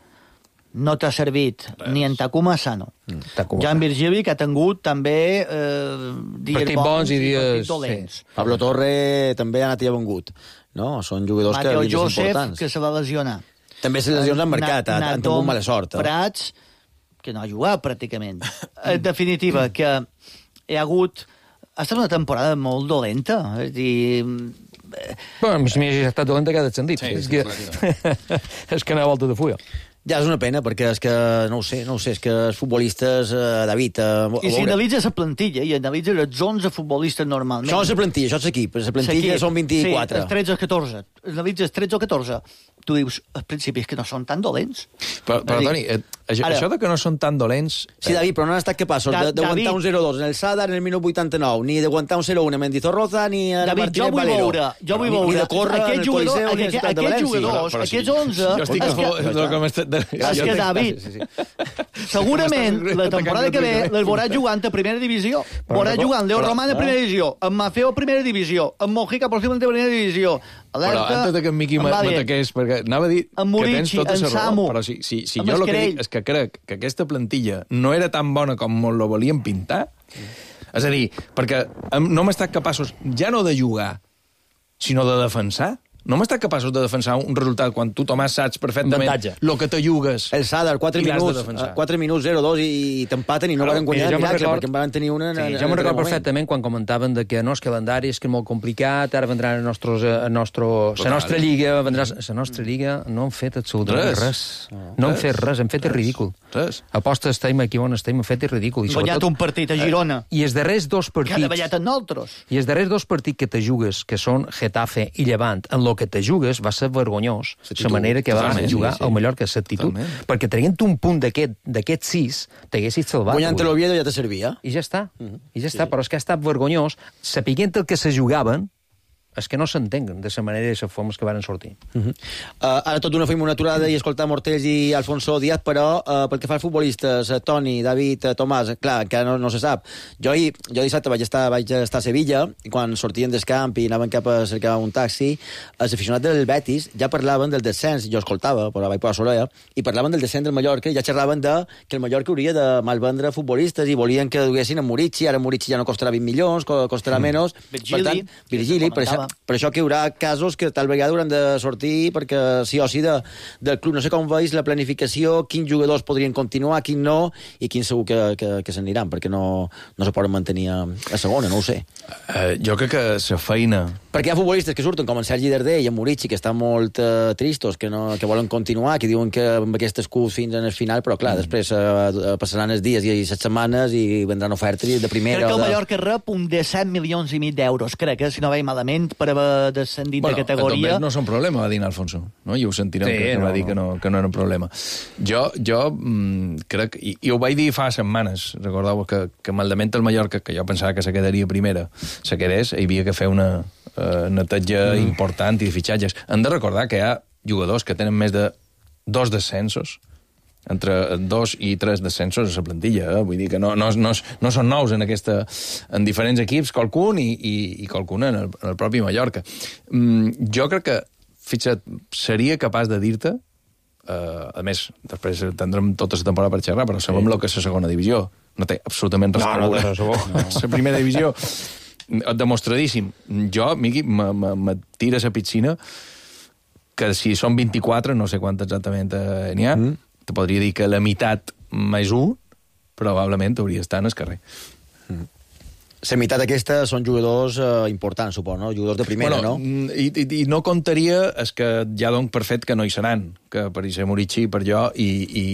no t'ha servit Res. ni en Takuma Sano. Mm, Takuma. Jan Virgili, que ha tingut també eh, dies Partits bons i dies- partits dolents. sí. Pablo Torre també ha anat i ha vengut. No? Són jugadors Mateo que Joseph, importants. que se va lesionar. També les lesions han marcat, han, han tingut mala sort. Eh? Prats, que no ha jugat pràcticament. En definitiva, que hi ha hagut... Ha estat una temporada molt dolenta. És a dir, Bueno, a mi ha estat dolenta cada sentit. Sí, és, sí, que, és que no ha volta de fulla. Ja és una pena, perquè és que, no ho sé, no ho sé, és que els futbolistes, eh, David... Eh, a I si veure- analitzes la plantilla i analitzes els onze futbolistes normalment... Això és la plantilla, això és l'equip. La plantilla L'equip, són vint-i-quatre. Sí, els tretze o catorze. Analitzes tretze o catorze. Tu dius, al principi és que no són tan dolents. Però, però És a dir, Toni, et, Això, Ara- això de que no són tan dolents... Sí, David, però no han estat capaços Da- de- d'aguantar David. un zero dos en el Sadar en el minut vuitanta-nou, ni d'aguantar un zero un a Mendizorroza, ni a David, Martínez jo vull Valero. veure, jo vull Ni- veure Ni de córrer en el aquests jugadors, Coliseu, ni a la aquests, ciutat de aquests València. jugadors, Però sí, aquests onze... jo estic a és que- favor del que m'està... És que, David, Sí, sí, sí. segurament M'estàs la temporada que ve atacant les veuràs jugant a primera divisió. Veuràs però- jugant Leo però- Roman a primera divisió, en Mafeo a primera divisió, en Mojica possiblement a primera divisió. Però Alerta, antes de que en Miqui en Baden, m'ataqués, perquè anava a dir en que Murici, tens tota en la Samu, raó, però si, si, si en jo el que Mascarell. dic és que crec que aquesta plantilla no era tan bona com molt la volien pintar, és a dir, perquè em- no hem estat capaços ja no de jugar, sinó de defensar. No hem estat capaços de defensar un resultat quan tu, Tomàs, saps perfectament el que te jugues. El Sadar, quatre i l'has de minuts, defensar. quatre minuts, zero dos, i, i t'empaten i no van guanyar de Mira, jo me'n miracle, record- perquè en van tenir una... en- Sí, en- jo en me'n el recordo moment. perfectament quan comentaven de que no, és calendari és que és molt complicat, ara vendran a nostres, a nostro, la nostra lliga, vendrà la nostra lliga, no hem fet absolutament Res. res. No hem fet res, hem fet el ridícul. Res. Aposta estem aquí on estem, hem fet el ridícul. I Hem guanyat sobretot- un partit a Girona. I els darrers dos que ha partits... davallat amb nosaltres. I els darrers dos partits que te jugues, que són Getafe i Llevant, en lo que te jugues va ser vergonyós la manera que van Totalment, jugar sí, sí. al Mallorca, l'actitud. Totalment. Perquè traient un punt d'aquest d'aquest sis, t'haguessis salvat. Guanyant avui. l'Oviedo ja te servia. I ja està, i ja està, però és que ha estat vergonyós, sapiguent el que se jugaven, és que no s'entenguen de la manera i les formes que van sortir. Uh -huh. uh, ara tot d'una fem una aturada i escoltar Mortells i Alfonso Díaz, però uh, pel que fa als futbolistes, uh, Toni, David, uh, Tomàs, clar, encara no, no se sap. Jo, ahir, jo dissabte vaig estar, vaig estar a Sevilla, i quan sortien del camp i anaven cap a cercar un taxi, els aficionats del Betis ja parlaven del descens, jo escoltava, però vaig posar l'orella, i parlaven del descens del Mallorca, i ja xerraven de que el Mallorca hauria de malvendre futbolistes i volien que duguessin a Murici, ara Murici ja no costarà vint milions, co- costarà menys. Virgili, per tant, Virgili, per això, per això que hi haurà casos que tal vegada hauran de sortir perquè sí o sí de, del club. No sé com veus la planificació, quins jugadors podrien continuar, quins no, i quins segur que, que, que s'aniran, perquè no, no se poden mantenir a, a segona, no ho sé. Uh, jo crec que la feina... Perquè hi ha futbolistes que surten, com en Sergi Darder i en Murici, que estan molt uh, tristos, que, no, que volen continuar, que diuen que amb aquest escut fins en el final, però clar, mm. després uh, passaran els dies i les setmanes i vendran ofertes de primera... Crec que el o de... Mallorca rep un disset milions i mig d'euros, crec, eh, si no veig malament, per haver descendit Bueno, de categoria. Bueno, no són problema, va dir Alfonso. No? I ho sentirem, Sí, sí, que, no, va dir no. que no, que no era un problema. Jo, jo mm, crec, i, i ho vaig dir fa setmanes, recordeu que, que maldament el Mallorca, que jo pensava que se quedaria primera, se quedés, hi havia que fer una uh, neteja mm. important i de fitxatges. Hem de recordar que hi ha jugadors que tenen més de dos descensos, entre dos i tres descensos a la plantilla, eh? Vull dir que no, no, no, no són nous en, aquesta, en diferents equips, qualcun i, i, i qualcun en el, en el propi Mallorca. Mm, jo crec que, fixa't, seria capaç de dir-te, eh, a més, després tindrem tota la temporada per xerrar, però sabem sí. el que és la segona divisió. No té absolutament res No, no, veure. res a veure. No. La primera divisió, demostradíssim. Jo, Miqui, me, me, me tira a la piscina que si són vint-i-quatre, no sé quant exactament eh, n'hi ha, mm. te podria dir que la meitat més un, probablement hauria d'estar en el carrer. Mm. La meitat aquesta són jugadors eh, importants, suposo, no? Jugadors de primera, bueno, no? I, i, I no comptaria és que ja dono per fet que no hi seran, que per ser Murici, per jo, i... I,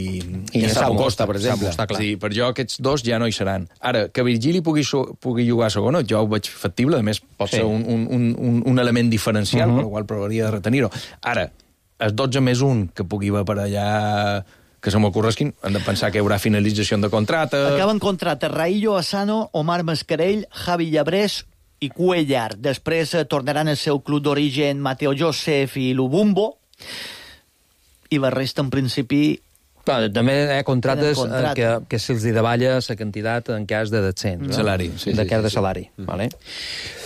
I i Samu Costa, per exemple. Samu, sí, per jo aquests dos ja no hi seran. Ara, que Virgili pugui, pugui jugar a segona, jo ho veig factible, a més pot sí. ser un, un, un, un element diferencial, uh -huh. per el qual provaria de retenir-ho. Ara, els dotze més un que pugui haver per allà... que se m'ocorresquin, han de pensar que hi haurà finalització de contracte... Acaben contracte Raillo Asano, Omar Mascarell, Javi Llabrés i Cuellar. Després eh, tornaran al seu club d'origen Mateo Josef i Lubumbo. I la resta, en principi... Clar, també hi ha contractes contracte. que, que se'ls davalla la quantitat en cas de descens. Mm. Salari, sí, de sí, cas sí, de sí. salari. Mm. Vale?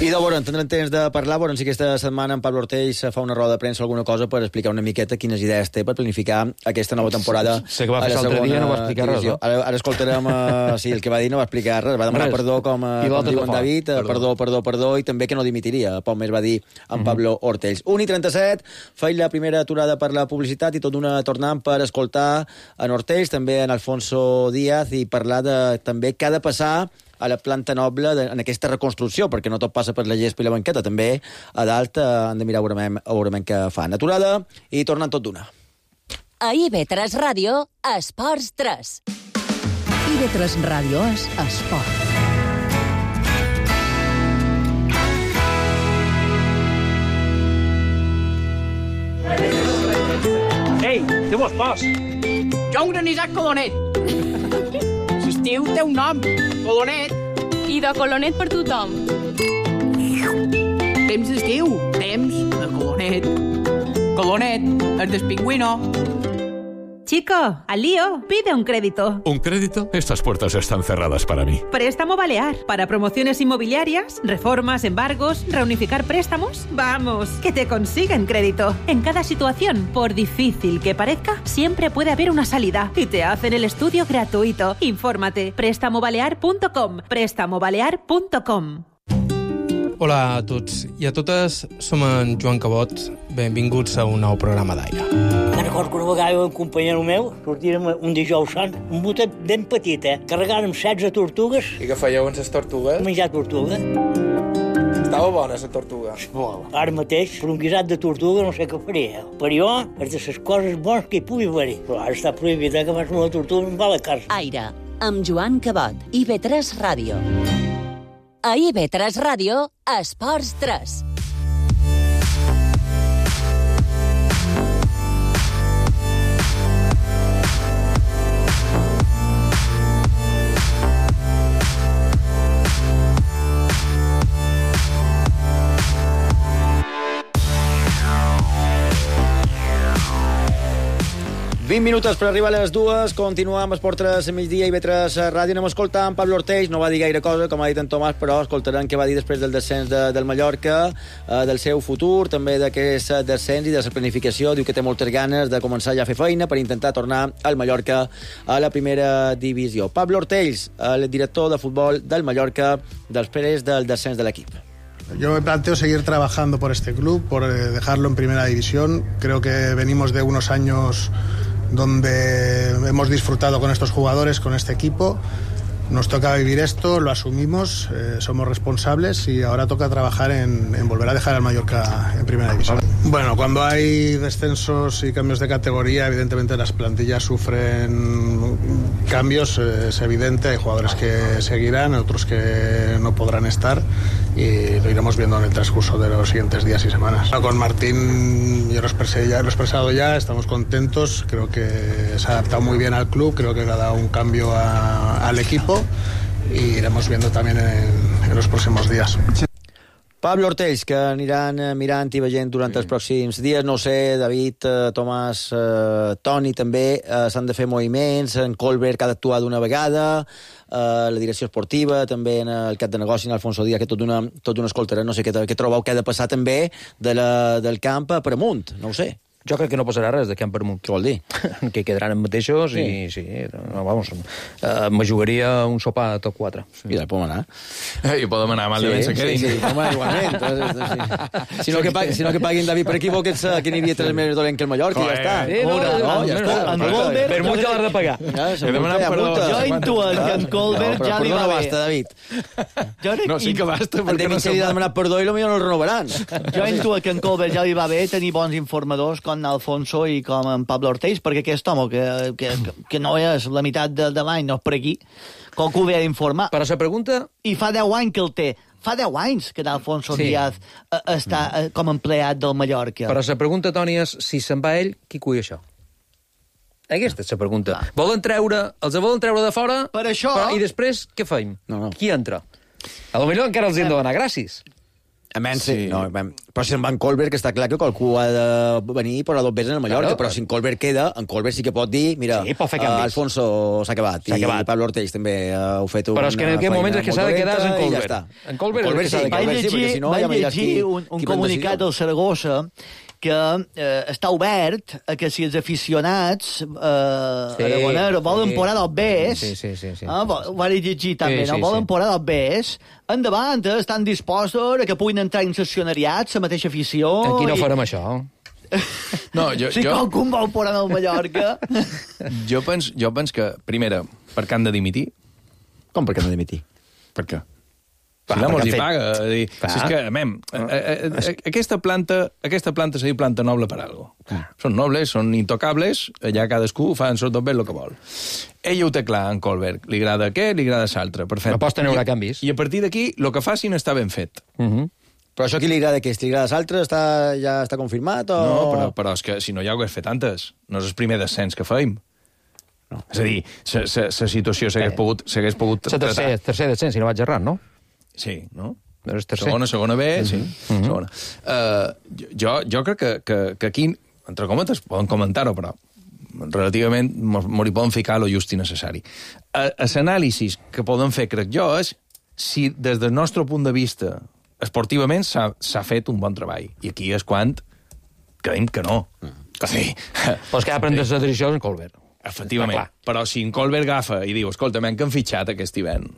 I de veure, tindrem temps de parlar, veurem si aquesta setmana en Pablo Ortells fa una roda de premsa o alguna cosa per explicar una miqueta quines idees té per planificar aquesta nova temporada. Sé que va a fer la l'altre dia, segona no va explicar res, divisió. no? Ara, ara escoltarem, uh, sí, el que va dir no va explicar res, va demanar Res. perdó, com, uh, I com l'altre diu que en fa. David, uh, Perdó. perdó, perdó, perdó, i també que no dimitiria, poc més va dir en Pablo Ortells. un i trenta-set, feia la primera aturada per la publicitat i tot d'una tornant per escoltar en Ortells, també en Alfonso Díaz, i parlar de també què ha de passar a la planta noble de, en aquesta reconstrucció, perquè no tot passa per la gespa i la banqueta, també a dalt eh, han de mirar veurem, veurem què fan. Aturada i tornant tot d'una. A I B tres Ràdio, Esports tres. I B tres Ràdio és esport. Ei, té vos pas! Jo un granissat colonet. L'estiu té un nom, colonet. I de colonet per tothom. Temps d'estiu, temps de colonet. Colonet, el del pingüino. Chico, al lío, pide un crédito. ¿Un crédito? Estas puertas están cerradas para mí. Préstamo Balear. Para promociones inmobiliarias, reformas, embargos, reunificar préstamos. Vamos, que te consiguen crédito. En cada situación, por difícil que parezca, siempre puede haber una salida. Y te hacen el estudio gratuito. Infórmate. préstamo balear punto com. préstamo balear punto com. Hola a tots i a totes, som en Joan Cabot. Benvinguts a un nou programa d'Aire. Me'n recordo que una vegada un companyero meu sortíem un dijous sant, un botet ben petit, eh? Carregàrem setze tortugues. I què fèieu amb les tortugues? Menjar tortuga. Estava bona, la tortuga. Molt. Ara mateix, per un guisat de tortuga no sé què faria. Per jo, és de les coses bones que hi pugui haver-hi. Però ara està prohibit, eh, que fas una tortuga en va a la casa. Aire, amb Joan Cabot, I V tres Ràdio. A I V tres Ràdio, Esports tres. vint minutes per arribar a les dues, continuem amb Esport tres a migdia i I V tres Ràdio. Anem a escoltar en Pablo Ortells, no va dir gaire cosa, com ha dit en Tomàs, però escoltaran què va dir després del descens de, del Mallorca, eh, del seu futur, també d'aquest descens i de la planificació. Diu que té moltes ganes de començar ja a fer feina per intentar tornar al Mallorca a la primera divisió. Pablo Ortells, el director de futbol del Mallorca, després del descens de l'equip. Yo me planteo seguir trabajando por este club, por dejarlo en primera división. Creo que venimos de unos años donde hemos disfrutado con estos jugadores, con este equipo. Nos toca vivir esto, lo asumimos, eh, somos responsables y ahora toca trabajar en, en volver a dejar al Mallorca en primera división. Bueno, cuando hay descensos y cambios de categoría, evidentemente las plantillas sufren cambios, eh, es evidente, hay jugadores que seguirán, otros que no podrán estar y lo iremos viendo en el transcurso de los siguientes días y semanas. Con Martín yo lo expresé ya, lo he expresado ya, estamos contentos, creo que se ha adaptado muy bien al club, creo que le ha dado un cambio a, al equipo y iremos viendo también en, en los próximos días. Pablo Ortells, que aniran mirant i veient durant els pròxims dies. No sé, David, eh, Tomàs, eh, Toni també, eh, s'han de fer moviments, en Colbert que ha d'actuar d'una vegada, eh, la direcció esportiva, també en el cap de negoci, en Alfonso Díaz, que tot d'una tot una escoltarà. No sé què, què trobeu que ha de passar també de la, del camp per amunt, no ho sé. Jo crec que no passarà res de camp per amunt. Què vol dir? Que quedaran els mateixos sí. i sí, no, vamos, uh, me jugaria un sopar a tot quatre. Sí. Mira, podem anar. Eh, I podem anar, malament sí, se quedin. Sí, sí, podem anar igualment. sí. Si, no que pagui, si no que paguin David per equivoc, que n'hi havia tres més dolent que el Mallorca, i ja està. Sí, no, no, no, ja està. En Colbert... Per multa l'has de pagar. Ja, jo intuo que en Colbert ja li va bé. No basta, David. No, sí que basta. En David se li ha demanat perdó i potser no el renovaran. Jo intuo que en Colbert ja li va bé tenir bons informadors com Alfonso i com en Pablo Ortells, perquè aquest home, que, que, que no és la meitat de, de l'any, no és per aquí, com que ho ve a informar. Però la pregunta... I fa deu anys que el té. Fa deu anys que Alfonso sí. Díaz eh, està eh, com empleat del Mallorca. Però la pregunta, Toni, és si se'n va ell, qui cuida això? Aquesta és la pregunta. Ah. Volen treure, els volen treure de fora, per això... però, i després què feim? No, no. Qui entra? A lo millor encara els hem de donar gràcies. A menys, sí. no, però si en Van Colbert, que està clar que qualcú ha de venir i posar dos veces en el Mallorca, claro, però si en Colbert queda, en Colbert sí que pot dir, mira, sí, pot uh, Alfonso s'ha acabat, i acabat. Pablo Ortells també uh, ho ha fet una però és que en aquest moment és que s'ha de quedar en Colbert. Ja en Colbert, Colbert sí, vaig llegir, sí, si no, ja llegir un, un comunicat del Saragossa que eh, està obert a que si els aficionats eh, sí, aragoneros volen sí. Porar dels bes, sí, sí, sí, sí. Eh, ho vaig llegir també, sí, no? Sí, volen sí. Porar dels bes, endavant, eh, estan dispostos a que puguin entrar en seccionariats, la mateixa afició... Aquí no i... farem això. No, jo, si jo... qualcun vol porar al Mallorca... jo, penso, jo penso que, primera, per què han de dimitir? Com per què han de dimitir? Per què? Si no mos hi paga. Dir, si és que, mem, a, a, a, aquesta planta, aquesta planta s'ha dit planta noble per algo. Ah. Són nobles, són intocables, allà cadascú fa en sort ben el que vol. Ell ho té clar, en Colbert. Li agrada què, li agrada l'altre. Perfecte. No pots tenir canvis. I a partir d'aquí, el que facin està ben fet. Uh -huh. Però això qui li agrada què? Si li agrada l'altre, està, ja està confirmat? O... No, però, però és que si no ja ho hagués fet antes. No és el primer descens que feim. no. És a dir, la situació s'hagués pogut... S'hagués pogut la tercer, tercer descens, si no vaig errar, no? Sí, no? Segona, segona B, sí. Mm-hmm. Segona. Uh, jo, jo crec que, que, que aquí, entre cometes, poden comentar-ho, però relativament m'hi poden ficar lo just i necessari. L'anàlisi que poden fer, crec jo, és si des del nostre punt de vista esportivament s'ha fet un bon treball. I aquí és quan creiem que no. Que sí. Però és que ha pres la decisió en Colbert. Efectivament. Però si en Colbert agafa i diu, escolta, m'han que han fitxat aquest hivern.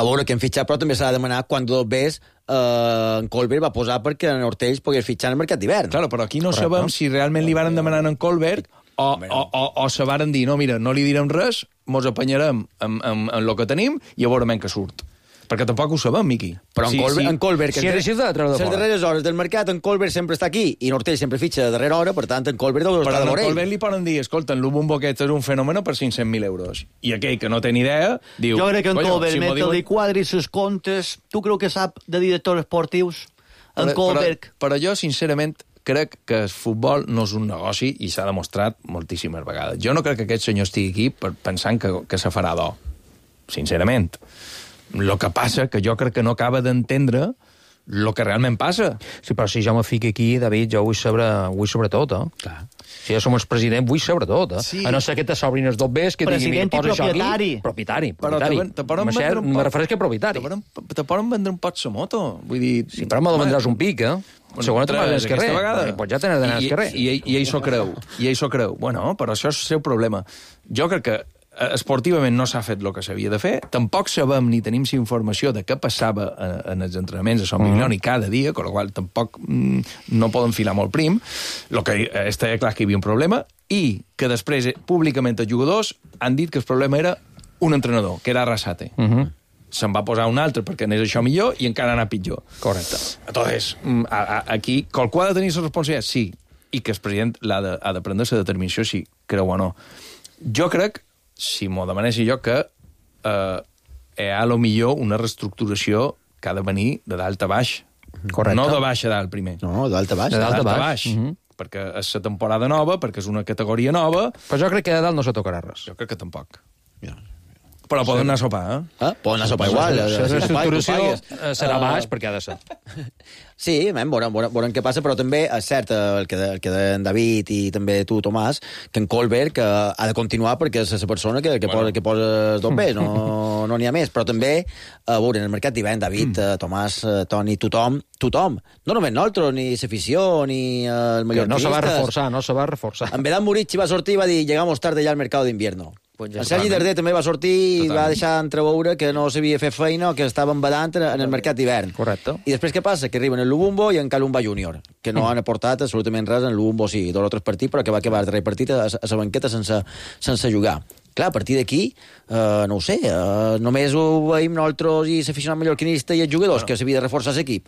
A veure, que han fitxat, però també s'ha de demanar quan dos ves eh, en Colbert va posar perquè en Ortells pogués fitxar en el mercat d'hivern. Claro, però aquí no Correcte. Sabem si realment li varen demanar en Colbert o, o, o, o se varen dir, no, mira, no li direm res, mos apanyarem amb, amb, amb el que tenim i a veure men que surt. Perquè tampoc ho sabem, Miqui. Però en, sí, Colbert, sí. en Colbert... Si ha decidit de treure de fora. Les darreres hores del mercat, en Colbert sempre està aquí i en Ortell sempre fitxa de darrera hora, per tant, en Colbert deu estar de l'orell. Però en Colbert li poden dir, escolta, en l'Ubumbo aquest és un fenomen per cinc-cents mil euros. I aquell que no té ni idea, diu... Jo crec que en Colbert, si mentre diuen... li quadri ses comptes, tu creu que sap de directors esportius? En però, Colbert... Però, però jo, sincerament, crec que el futbol no és un negoci i s'ha demostrat moltíssimes vegades. Jo no crec que aquest senyor estigui aquí per, pensant que, que se farà d'or. Sincerament. El que passa que jo crec que no acaba d'entendre el que realment passa. Sí, però si jo me fico aquí, David, jo vull saber, vull saber tot, eh? Clar. Si jo som el president, vull saber tot, eh? Sí. A no ser que te s'obrin els dos bes, que diguin, mira, posa això aquí. Propietari. Propietari. Però te, te vendre un... Me refereix que propietari. Te, te poden vendre un pot sa moto. Vull dir... Sí, però me la vendràs un pic, eh? Bueno, segona te vas al carrer. Vegada. Pots ja tenir d'anar al carrer. I, i, i ell s'ho creu. I ell s'ho creu. Bueno, però això és el seu problema. Jo crec que esportivament no s'ha fet el que s'havia de fer, tampoc sabem ni tenim informació de què passava en els entrenaments a Sant Milioni mm. cada dia, amb la qual tampoc mm, no poden filar molt prim. El que està clar que hi havia un problema i que després públicament els jugadors han dit que el problema era un entrenador, que era Arrasate. Mm -hmm. Se'n va posar un altre perquè anés això millor i encara anar pitjor. Correcte. Entonces, aquí, qualcú ha de tenir la responsabilitat? Sí. I que el president ha de, ha de prendre la determinació si creu o no. Jo crec si m'ho demanessi jo, que eh, hi ha, a lo millor, una reestructuració que ha de venir de dalt a baix. Correcte. No de baix a dalt, primer. No, de dalt a baix. De dalt a baix. baix. Uh -huh. Perquè és la temporada nova, perquè és una categoria nova... Però jo crec que de dalt no se tocarà res. Jo crec que tampoc. Ja. Però poden anar a sopar, eh? Ah, poden anar a sopar igual. La reestructuració serà baix perquè ha de ser. Sí, veurem, veurem, veurem què passa, però també és cert el que, el que deien David i també tu, Tomàs, que en Colbert que ha de continuar perquè és la persona que, que, bueno. posa, que posa els dobbers, no n'hi no ha més. Però també, a veure, en el mercat d'hivern, David, mm. Tomàs, Toni, tothom, tothom, no només nosaltres, ni l'afició, ni el mallorquinistes... No se va reforçar, no se va reforçar. En Vedat Murici va sortir i va dir llegamos tarde ya al mercado d'invierno. Pues ja en Sergi Darder també va sortir i Totalment. va deixar entreveure que no sabia fer feina o que estaven badant en el mercat d'hivern. Correcte. I després què passa? Que arriben el Lubumbo i en Calumba Júnior, que no mm. han aportat absolutament res en el Lubumbo, sí, dos o tres partits, però que va acabar el darrer partit a, a la banqueta sense, sense jugar. Clar, a partir d'aquí, uh, no ho sé, uh, només ho veiem nosaltres i l'aficionat mallorquinista i els jugadors, bueno. que s'havia de reforçar l'equip.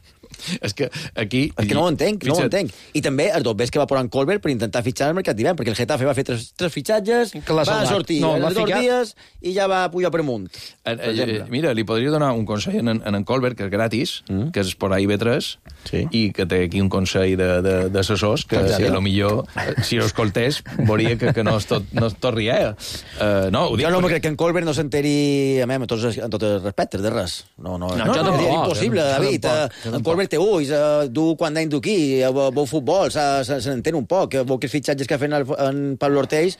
És que aquí... És que no ho entenc, no ho entenc. I també els dos que va posar en Colbert per intentar fitxar el mercat d'hivern, perquè el Getafe va fer tres, tres fitxatges, va sortir no, en els dos dies i ja va pujar per amunt. Eh, eh, mira, li podria donar un consell en, en, en Colbert, que és gratis, mm. que és por I B tres, sí. i que té aquí un consell d'assessors, que si a lo millor, si ho escoltés, veuria que, que no és tot, no és tot rier. Uh, no, ho dic jo no perquè... me crec que en Colbert no s'enteri a mi, amb tots, amb tots els respectes de res. No, no, no, no, no, no és impossible, David. En Colbert té ulls, du quan anem d'aquí, veu futbol, se n'entén un poc, veu que els fitxatges que ha fet en Pablo Ortells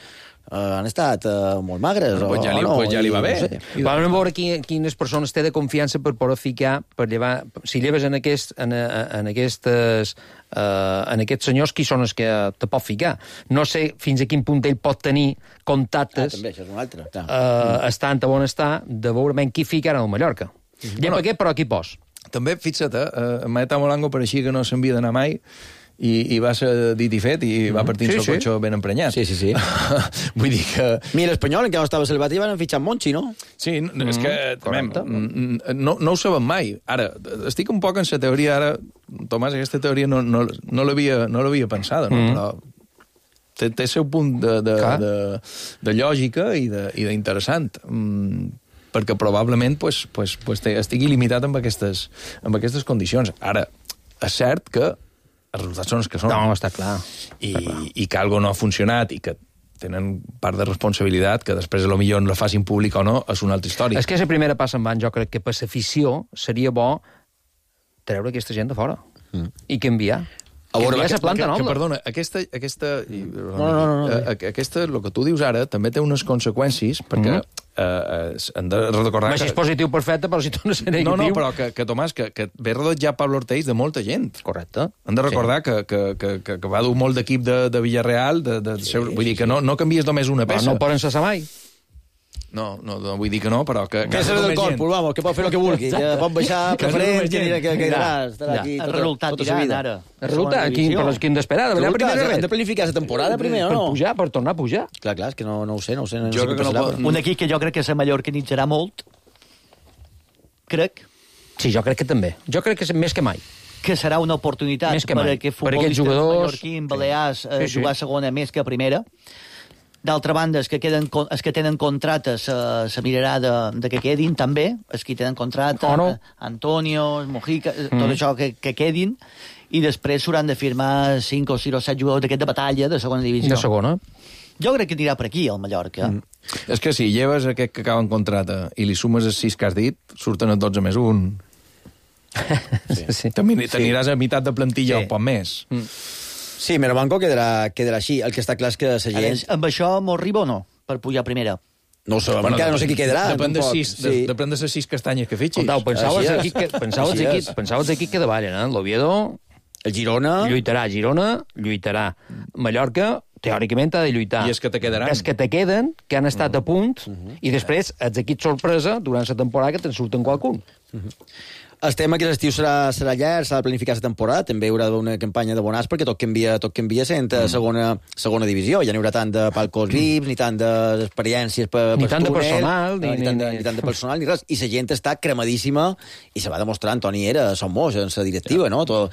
Uh, han estat uh, molt magres. Pues ja, li, no, pues ja li va bé. No sé. Vam veure qui, quines persones té de confiança per poder ficar, per llevar... Si lleves en, aquest, en, en, aquestes, uh, en aquests senyors, qui són els que te pot ficar? No sé fins a quin punt ell pot tenir contactes, ah, també, això és un altre. Uh, mm. estant a on està, de veure ben qui fica ara al Mallorca. Mm. Ja bueno, per què, però aquí pos. També, fixa't, eh, Maeta Molango pareixia que no s'havia d'anar mai, I, i va ser dit i fet, i va partir sí, el seu sí. cotxe ben emprenyat. Sí, sí, sí. Vull dir que... Mira, l'Espanyol, encara no estava salvat, i van fitxar Monchi, no? Sí, mm, és que també, no, no ho sabem mai. Ara, estic un poc en la teoria, ara, Tomàs, aquesta teoria no, no, no l'havia no pensada, no? Mm. Però té, té el seu punt de, de, de, de lògica i d'interessant. Mm, perquè probablement pues, pues, pues, estigui limitat amb aquestes, amb aquestes condicions. Ara, és cert que els resultats són els que són. No, està clar. I, està clar. i que algo no ha funcionat i que tenen part de responsabilitat, que després a lo millor la facin pública o no, és una altra història. És que la primera passa en van, jo crec que per l'afició seria bo treure aquesta gent de fora mm. i canviar. A veure, canviar que, la planta que, noble. que, perdona, aquesta, aquesta, no, no, no, no, no. aquesta, el que tu dius ara, també té unes conseqüències, perquè mm. eh, hem de recordar... Si és positiu, perfecte, però si tu no sé negatiu... No, no, però que, que Tomàs, que, que ve rodejat Pablo Ortiz de molta gent. Correcte. Hem de recordar sí. que, que, que, que, que va dur molt d'equip de, de Villarreal, de, de, sí, vull dir que no, no canvies només una peça. Però no ho poden cessar mai. No, no, no vull dir que no, però que... Que serà del corpus, vamos, que pot fer el que vulgui. Que pot baixar preferents, que anirà, que quedarà, estarà aquí el resultat tirant, ara. El resultat, quin, però quin d'esperar? De la primera red. Hem de planificar la temporada primer, o no? Per pujar, per tornar a pujar. Clar, clar, és que no, no ho sé, no ho sé. No jo sé crec que no pot... Un equip que jo crec que se mallorquinitzarà molt, crec. Sí, jo crec que també. Jo crec que és més que mai. Que serà una oportunitat per a que futbolistes mallorquins, balears, sí, sí. jugar a segona més que a primera. D'altra banda, els que, queden, els que tenen contractes se, se mirarà de, de que quedin, també. Els que tenen contracte, oh, no. Antonio, Mojica, mm. tot això que, que quedin, i després s'hauran de firmar cinc o sis o set jugadors d'aquesta batalla de segona divisió. De segona. Jo crec que anirà per aquí, el Mallorca. Mm. És que si lleves aquest que acaba en contracte i li sumes els sis que has dit, surten els dotze més un. Sí. Sí. T'aniràs a meitat de plantilla sí. o poc més. Mm. Sí, Merabanco quedarà, quedarà així. El que està clar és que la gent... Veure, amb això m'ho arriba o no, per pujar a primera? No ho sé, bueno, encara no sé qui quedarà. Depèn de, sis, sí. de, depèn de les sis castanyes que fitxis. Contau, pensaves aquí que, pensaves aquí, pensaves aquí que davallen, eh? L'Oviedo... El Girona... Lluitarà. Girona lluitarà. Mallorca, teòricament, ha de lluitar. I és que te quedaran. És que te queden, que han estat uh -huh. a punt, uh -huh. i després, els equips sorpresa, durant la temporada, que te'n surten qualcun. Uh -huh. El tema que l'estiu serà, serà llarg, s'ha de planificar la temporada, també hi haurà una campanya de bonars perquè tot canvia, tot canvia sent a segona, segona divisió. Ja no hi haurà tant de palcos V I Ps, ni tant d'experiències per, ni per tant túnel, de personal, ni, ni, tant de, ni tant de personal, ni res. I la gent està cremadíssima, i se va demostrar, Antoni era, som molts, en la directiva, no? Tot,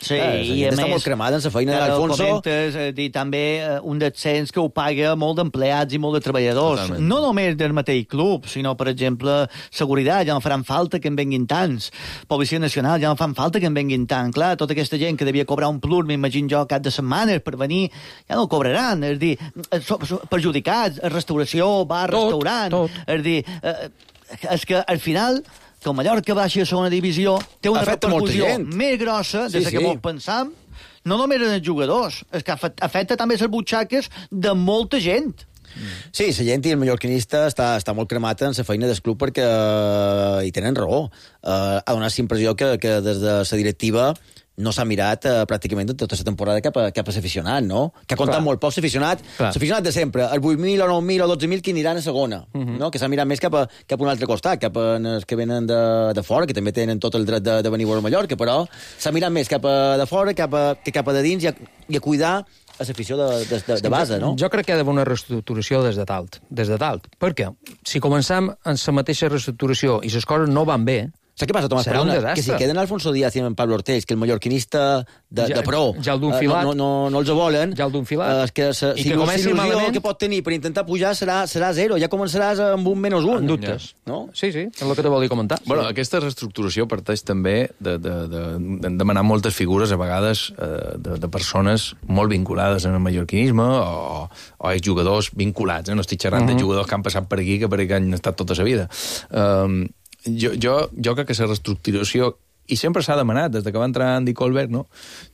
sí, eh, i a està més... molt cremada en la feina de l'Alfonso. Comentes, eh, dir, també eh, un descens que ho paga molt d'empleats i molt de treballadors. Totalment. No només del mateix club, sinó, per exemple, seguretat, ja no faran falta que en venguin tants. Policia Nacional, ja no fan falta que en venguin tant. Clar, tota aquesta gent que devia cobrar un plus, m'imagino jo, cap de setmanes per venir, ja no el cobraran. És dir, so, so, perjudicats, restauració, bar, tot, restaurant. Tot. És dir, eh, és que al final que el Mallorca baixi a segona divisió té una afecta repercussió més grossa des sí, que sí. Molt pensam, no només en els jugadors, és que afecta també les butxaques de molta gent. Sí, la gent i el mallorquinista està, està molt cremat en la feina del club perquè uh, hi tenen raó. Uh, ha donat la impressió que, que des de la directiva no s'ha mirat uh, pràcticament tota la temporada cap a, cap a l'aficionat, no? Que ha comptat molt poc l'aficionat. L'aficionat de sempre, el vuit mil o nou mil o dotze mil que aniran a segona, uh -huh. no? Que s'ha mirat més cap a, cap a un altre costat, cap a els que venen de, de fora, que també tenen tot el dret de, de venir a Mallorca, però s'ha mirat més cap a de fora cap a, que cap a de dins i a, i a cuidar a l'afició de, de, de, de base, no? Jo crec que hi ha d'haver una reestructuració des de dalt. Des de dalt. Per què? Si comencem en la mateixa reestructuració i les coses no van bé, saps què passa, Tomàs? Serà un desastre. Que si queden Alfonso Díaz i en Pablo Ortiz, que el mallorquinista de, ja, de pro ja el d'un filat, uh, no, no, no els volen, ja el d'un filat, uh, és que sa, i si que l'il·lusió malament... que pot tenir per intentar pujar serà, serà zero, ja començaràs amb un menys un. En dubtes. Ja. No? Sí, sí, és el que te volia comentar. Bueno, sí. Aquesta reestructuració parteix també de, de, de, de demanar moltes figures, a vegades, eh, de, de persones molt vinculades en el mallorquinisme o, o jugadors vinculats. Eh? No estic xerrant uh -huh. de jugadors que han passat per aquí, que per aquí han estat tota la vida. Um, Jo, jo, jo crec que la reestructuració, i sempre s'ha demanat, des que va entrar Andy Colbert, no?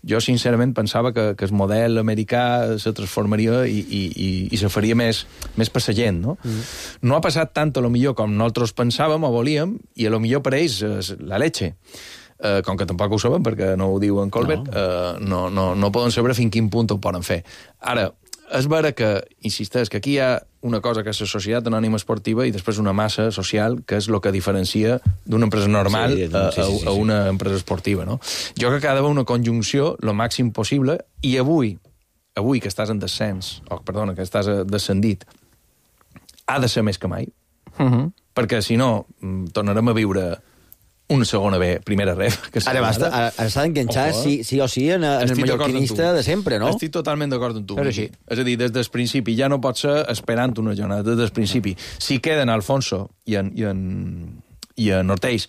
Jo sincerament pensava que, que el model americà se transformaria i, i, i, i se faria més, més per la gent, no? Mm. No ha passat tant, a lo millor, com nosaltres pensàvem o volíem, i a lo millor per ells és la leche. Uh, com que tampoc ho saben, perquè no ho diu en Colbert, no, uh, no, no, no poden saber fins quin punt ho poden fer. Ara, és vera que, insisteix, que aquí hi ha una cosa que és la societat anònima esportiva i després una massa social que és el que diferencia d'una empresa normal sí, sí, sí, sí, sí. a, a una empresa esportiva, no? Jo crec que ha d'haver una conjunció lo màxim possible i avui, avui que estàs en descens, o perdona, que estàs descendit, ha de ser més que mai, uh -huh. perquè si no tornarem a viure una segona B, primera ref. Que ara basta, ara, ara s'ha d'enganxar oh, sí, sí o sí en, en el mallorquinista de sempre, no? Estic totalment d'acord amb tu. Sí. És a dir, des del principi, ja no pot ser esperant una jornada, des del principi. Si queden Alfonso i en, i en, i en Ortiz,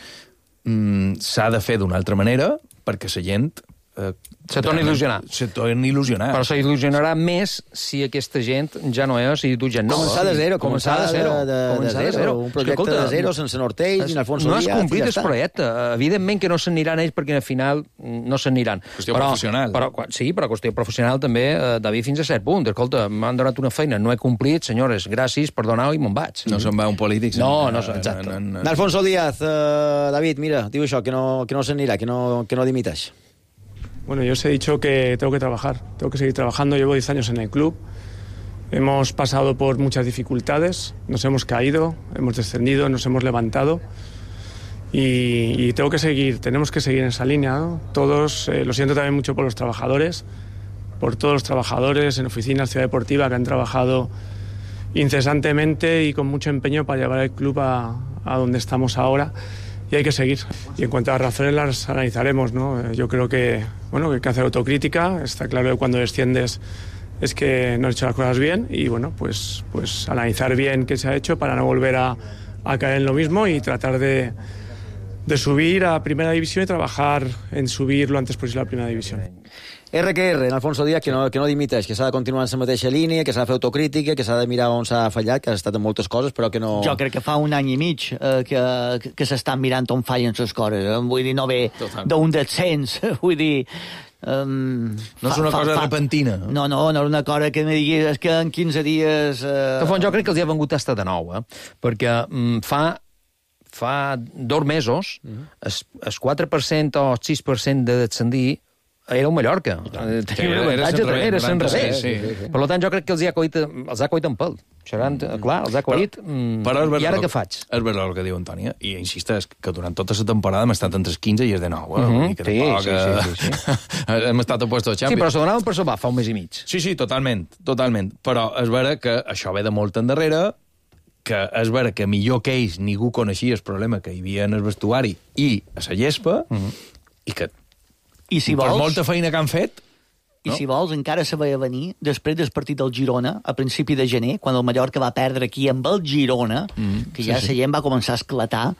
mmm, s'ha de fer d'una altra manera, perquè la gent Eh, se torna a il·lusionar. Se torna a il·lusionar. Però se il·lusionarà més si aquesta gent ja no és i tu gent no. Començar de zero, començar de zero. De, començar de de zero. Un projecte Escolta, de zero, sense Nortells, ni Alfonso no Díaz. No has complit ja el projecte. Evidentment que no s'aniran ells perquè al final no s'aniran. Qüestió però, professional. Però, sí, però qüestió professional també, eh, David, fins a cert punt. Escolta, m'han donat una feina, no he complit, senyores, gràcies, perdoneu i me'n vaig. No se'n va un polític. No, no, exacte. No, no, no. Alfonso Díaz, uh, David, mira, diu això, que no, que no s'anirà, que no, que no dimiteix. Bueno, yo os he dicho que tengo que trabajar, tengo que seguir trabajando. Llevo diez años en el club, hemos pasado por muchas dificultades, nos hemos caído, hemos descendido, nos hemos levantado y, y tengo que seguir, tenemos que seguir en esa línea, ¿no? Todos, eh, lo siento también mucho por los trabajadores, por todos los trabajadores en oficinas, Ciudad Deportiva, que han trabajado incesantemente y con mucho empeño para llevar el club a, a donde estamos ahora. Y hay que seguir. Y en cuanto a las razones las analizaremos, ¿no? Yo creo que, bueno, que hay que hacer autocrítica. Está claro que cuando desciendes es que no has hecho las cosas bien y, bueno, pues, pues analizar bien qué se ha hecho para no volver a, a caer en lo mismo y tratar de, de subir a Primera División y trabajar en subir lo antes posible a Primera División. R que R, en Alfonso Díaz, que no, que no dimiteix, que s'ha de continuar en la mateixa línia, que s'ha de fer autocrítica, que s'ha de mirar on s'ha fallat, que ha estat en moltes coses, però que no... Jo crec que fa un any i mig eh, que, que s'estan mirant on fallen les coses. Eh? Vull dir, no ve d'un descens. Vull dir... Um, no és una fa, cosa fa, repentina. No, no, no és una cosa que me diguis és que en quinze dies... Eh... De fons, jo crec que els hi ha vengut estar de nou, eh? Perquè um, fa... fa dos mesos, el, el quatre per cent o el sis per cent de descendir era un Mallorca. Tenia sí, un avantatge, era se'n revés. Sí, sí, sí. Per tant, jo crec que els ha coit, els ha coit en pèl. Xerant, clar, els ha coit. Però, però I ara què faig? És veritat el que diu Antònia, i insisteix que durant tota la temporada hem estat entre els quinze i els de nou. Eh? Mm -hmm. que sí, tampoc, sí, sí, sí, sí. hem estat a puesto de Champions. Sí, però se donaven per salvar fa un mes i mig. Sí, sí, totalment, totalment. Però és vera que això ve de molt endarrere, que és vera que millor que ells ningú coneixia el problema que hi havia en el vestuari i a la gespa, mm -hmm. i que I si vols, per molta feina que han fet... I no? si vols, encara se veia venir després del partit del Girona, a principi de gener, quan el Mallorca va perdre aquí amb el Girona, mm, que ja sí, la gent sí. va començar a esclatar,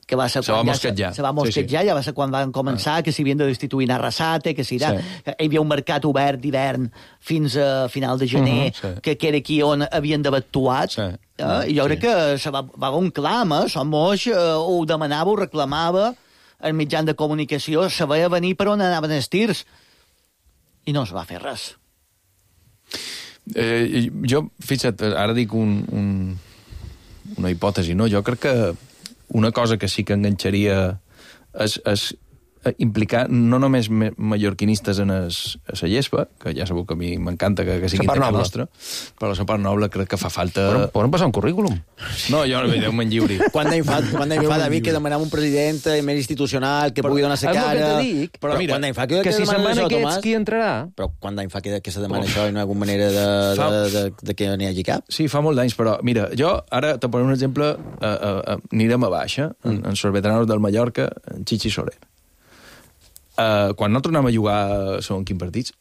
que va ser se va mosquetjar. Se, se va mosquetjar, sí, sí. Ja va ser quan van començar, ah. que s'havien de destituir Arrasate, que si sí. hi havia un mercat obert d'hivern fins a final de gener, uh -huh, sí. que, que era aquí on havien d'haver actuat, sí. eh? I jo sí. crec que se va, va haver un clam, eh? Som moix, eh, ho demanava, ho reclamava, el mitjan de comunicació, se veia venir per on anaven els tirs, i no es va fer res. Eh, jo, fixa't, ara dic un, un, una hipòtesi, no? Jo crec que una cosa que sí que enganxaria és, és implicar no només mallorquinistes en es, a la gespa, que ja sabeu que a mi m'encanta que, que siguin de casa nostra, però la part noble crec que fa falta... Poden passar un currículum? No, jo no Déu me'n lliuri. Quan d'any fa, quan d'any fa David, que demanava un president més institucional, que però, pugui donar la cara... És el que dic, però mira, quan d'any fa que, que, que si se'n van això, aquests, Tomàs, qui entrarà? Però quan d'any fa que, que se demana oh. això i no hi ha alguna manera de, fa... de, de, de que n'hi hagi cap? Sí, fa molt d'anys, però mira, jo ara te posaré un exemple, uh, uh, uh, anirem a baixa, mm. en, en els veteranos del Mallorca, en Chichi Soler. Uh, quan no tornem a jugar segons quins partits,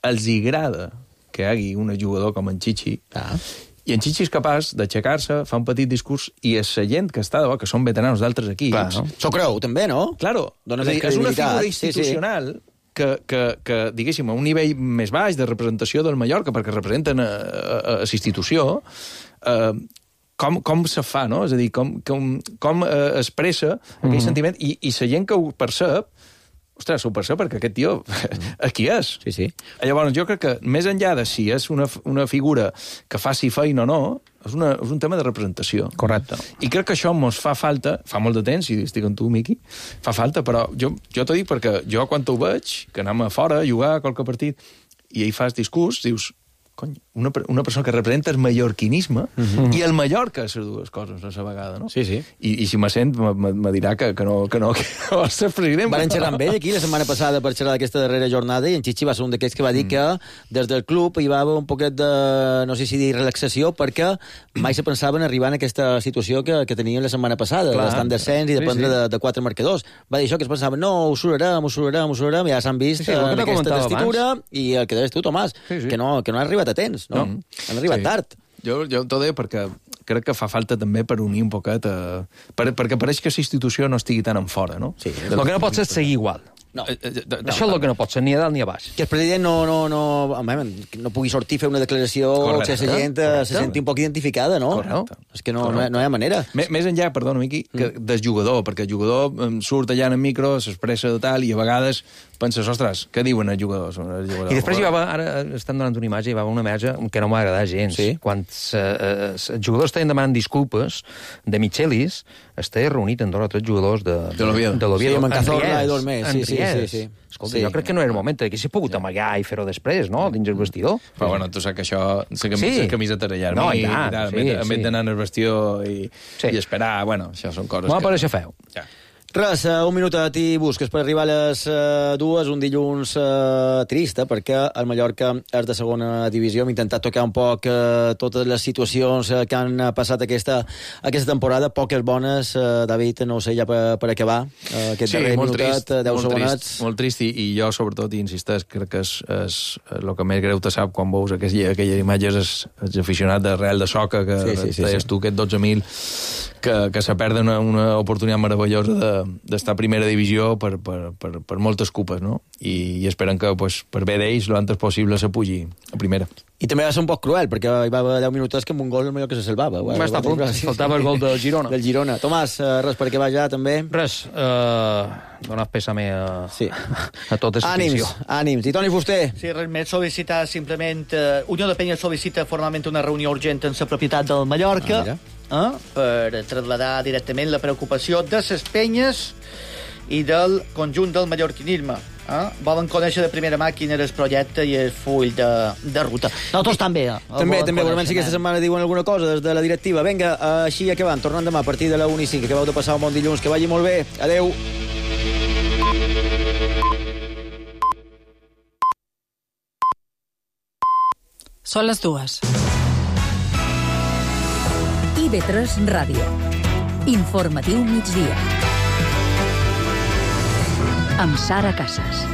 els hi agrada que hi hagi un jugador com en Chichi, ah. i en Chichi és capaç d'aixecar-se, fa un petit discurs, i és la gent que està de bo, que són veteranos d'altres equips... Clar, no? S'ho creu, també, no? Claro. És, dir, és una figura institucional sí, sí. Que, que, que, diguéssim, a un nivell més baix de representació del Mallorca, perquè representen a, a, a la institució, uh, com, com se fa, no? És a dir, com, com, com uh, expressa aquell mm -hmm. sentiment, i, i la gent que ho percep, ostres, ho percep perquè aquest tio aquí és. Sí, sí. Llavors, jo crec que més enllà de si és una, una figura que faci feina o no, és, una, és un tema de representació. Correcte. I crec que això mos fa falta, fa molt de temps, i estic amb tu, Miqui, fa falta, però jo, jo t'ho dic perquè jo quan t'ho veig, que anem a fora a jugar a qualque partit, i ahí fas discurs, dius, cony, una, una persona que representa el mallorquinisme uh -huh. i el Mallorca, les dues coses a la vegada, no? Sí, sí. I, i si me sent, me dirà que, que no, que no, que no vol ser president. Van xerrar amb ell aquí la setmana passada per xerrar d'aquesta darrera jornada, i en Chichi va ser un d'aquests que va dir mm. que des del club hi va haver un poquet de, no sé si dir relaxació, perquè mai se pensava en arribar en aquesta situació que, que teníem la setmana passada, d'estar en descens i dependre sí, sí. de, de quatre marcadors. Va dir això, que es pensaven, no, ho surarem, ho surarem, ho surarem, ja s'han vist sí, sí, en aquesta testitura, abans. I el que deies tu, Tomàs, sí, sí. que no, que no ha arribat a temps, no? no. Han arribat sí. tard. Jo, jo t'ho deia perquè crec que fa falta també per unir un poquet, a... per, perquè pareix que la institució no estigui tan en fora, no? Sí, el que no pot ser seguir igual. No. Eh, eh, no. Això és el que no pot ser, ni a dalt ni a baix. Que el president no, no, no, home, no pugui sortir a fer una declaració correcte, que la gent correcte. se senti un poc identificada, no? Correcte. És que no, no, no hi ha manera. M més enllà, perdona, Miqui, que mm. del jugador, perquè el jugador surt allà en el micro, s'expressa de tal, i a vegades penses, ostres, què diuen els jugadors? El jugador? I després hi va, ara estan donant una imatge, hi va una imatge que no m'ha agradat gens. Sí? Quan eh, els jugadors estaven demanant disculpes de Michelis, estava reunit amb dos o tres jugadors de, de l'Oviedo. De l'Oviedo. Sí, amb en Cazorla i dos més. Sí, sí, sí, sí. Escolta, sí. jo crec que no era el moment, que s'ha pogut amagar i fer-ho després, no?, dins el vestidor. Però, bueno, tu saps que això, la camisa, sí. camiseta de llarg, no, i, ja, i tal, sí, en vez sí. d'anar al vestidor i, sí. i esperar, bueno, això són coses M'ho que... va pareixer feu. Ja. Res, uh, un minutet i busques per arribar a les uh, dues, un dilluns uh, trista, perquè el Mallorca és de segona divisió. Hem intentat tocar un poc uh, totes les situacions uh, que han passat aquesta, aquesta temporada, poques bones. Uh, David, no ho sé, ja per, per acabar, uh, aquest sí, darrer molt minutet, trist, deu molt segonets. Trist, molt trist, i, i jo, sobretot, i insisteix, crec que és, és el que més greu te sap quan veus aquelles, aquelles imatges, és, és aficionat de Real de Soca, que sí, sí, sí, deies sí. tu, aquest dotze mil, que, que se perden una, una oportunitat meravellosa de d'estar a primera divisió per, per, per, per moltes cupes, no? I, i esperen que, pues, per bé d'ells, l'antes possible se pugi a primera. I també va ser un poc cruel, perquè hi va haver deu minuts que amb un gol el Mallorca se salvava. Va estar a punt, faltava el gol del Girona. Del Girona. Tomàs, res per acabar ja, també? Res, uh, donar pèsame a, sí. a tota la ànims, ànims. I Toni Fuster? Sí, res més, sol·licitar simplement... Uh, Unió de Penyes sol·licita formalment una reunió urgent en la propietat del Mallorca ah, eh, per traslladar directament la preocupació de les penyes i del conjunt del mallorquinisme. Eh? Volen conèixer de primera mà quin era el projecte i el full de, de ruta. Nosaltres també. Eh? També, també. Volem si aquesta setmana diuen alguna cosa des de la directiva. Vinga, així acabant. Tornant demà a partir de la una i cinc. Acabeu de passar un bon dilluns. Que vagi molt bé. Adeu. Són les dues. I ve tres Ràdio. Informatiu migdia. Amb Sara Casas.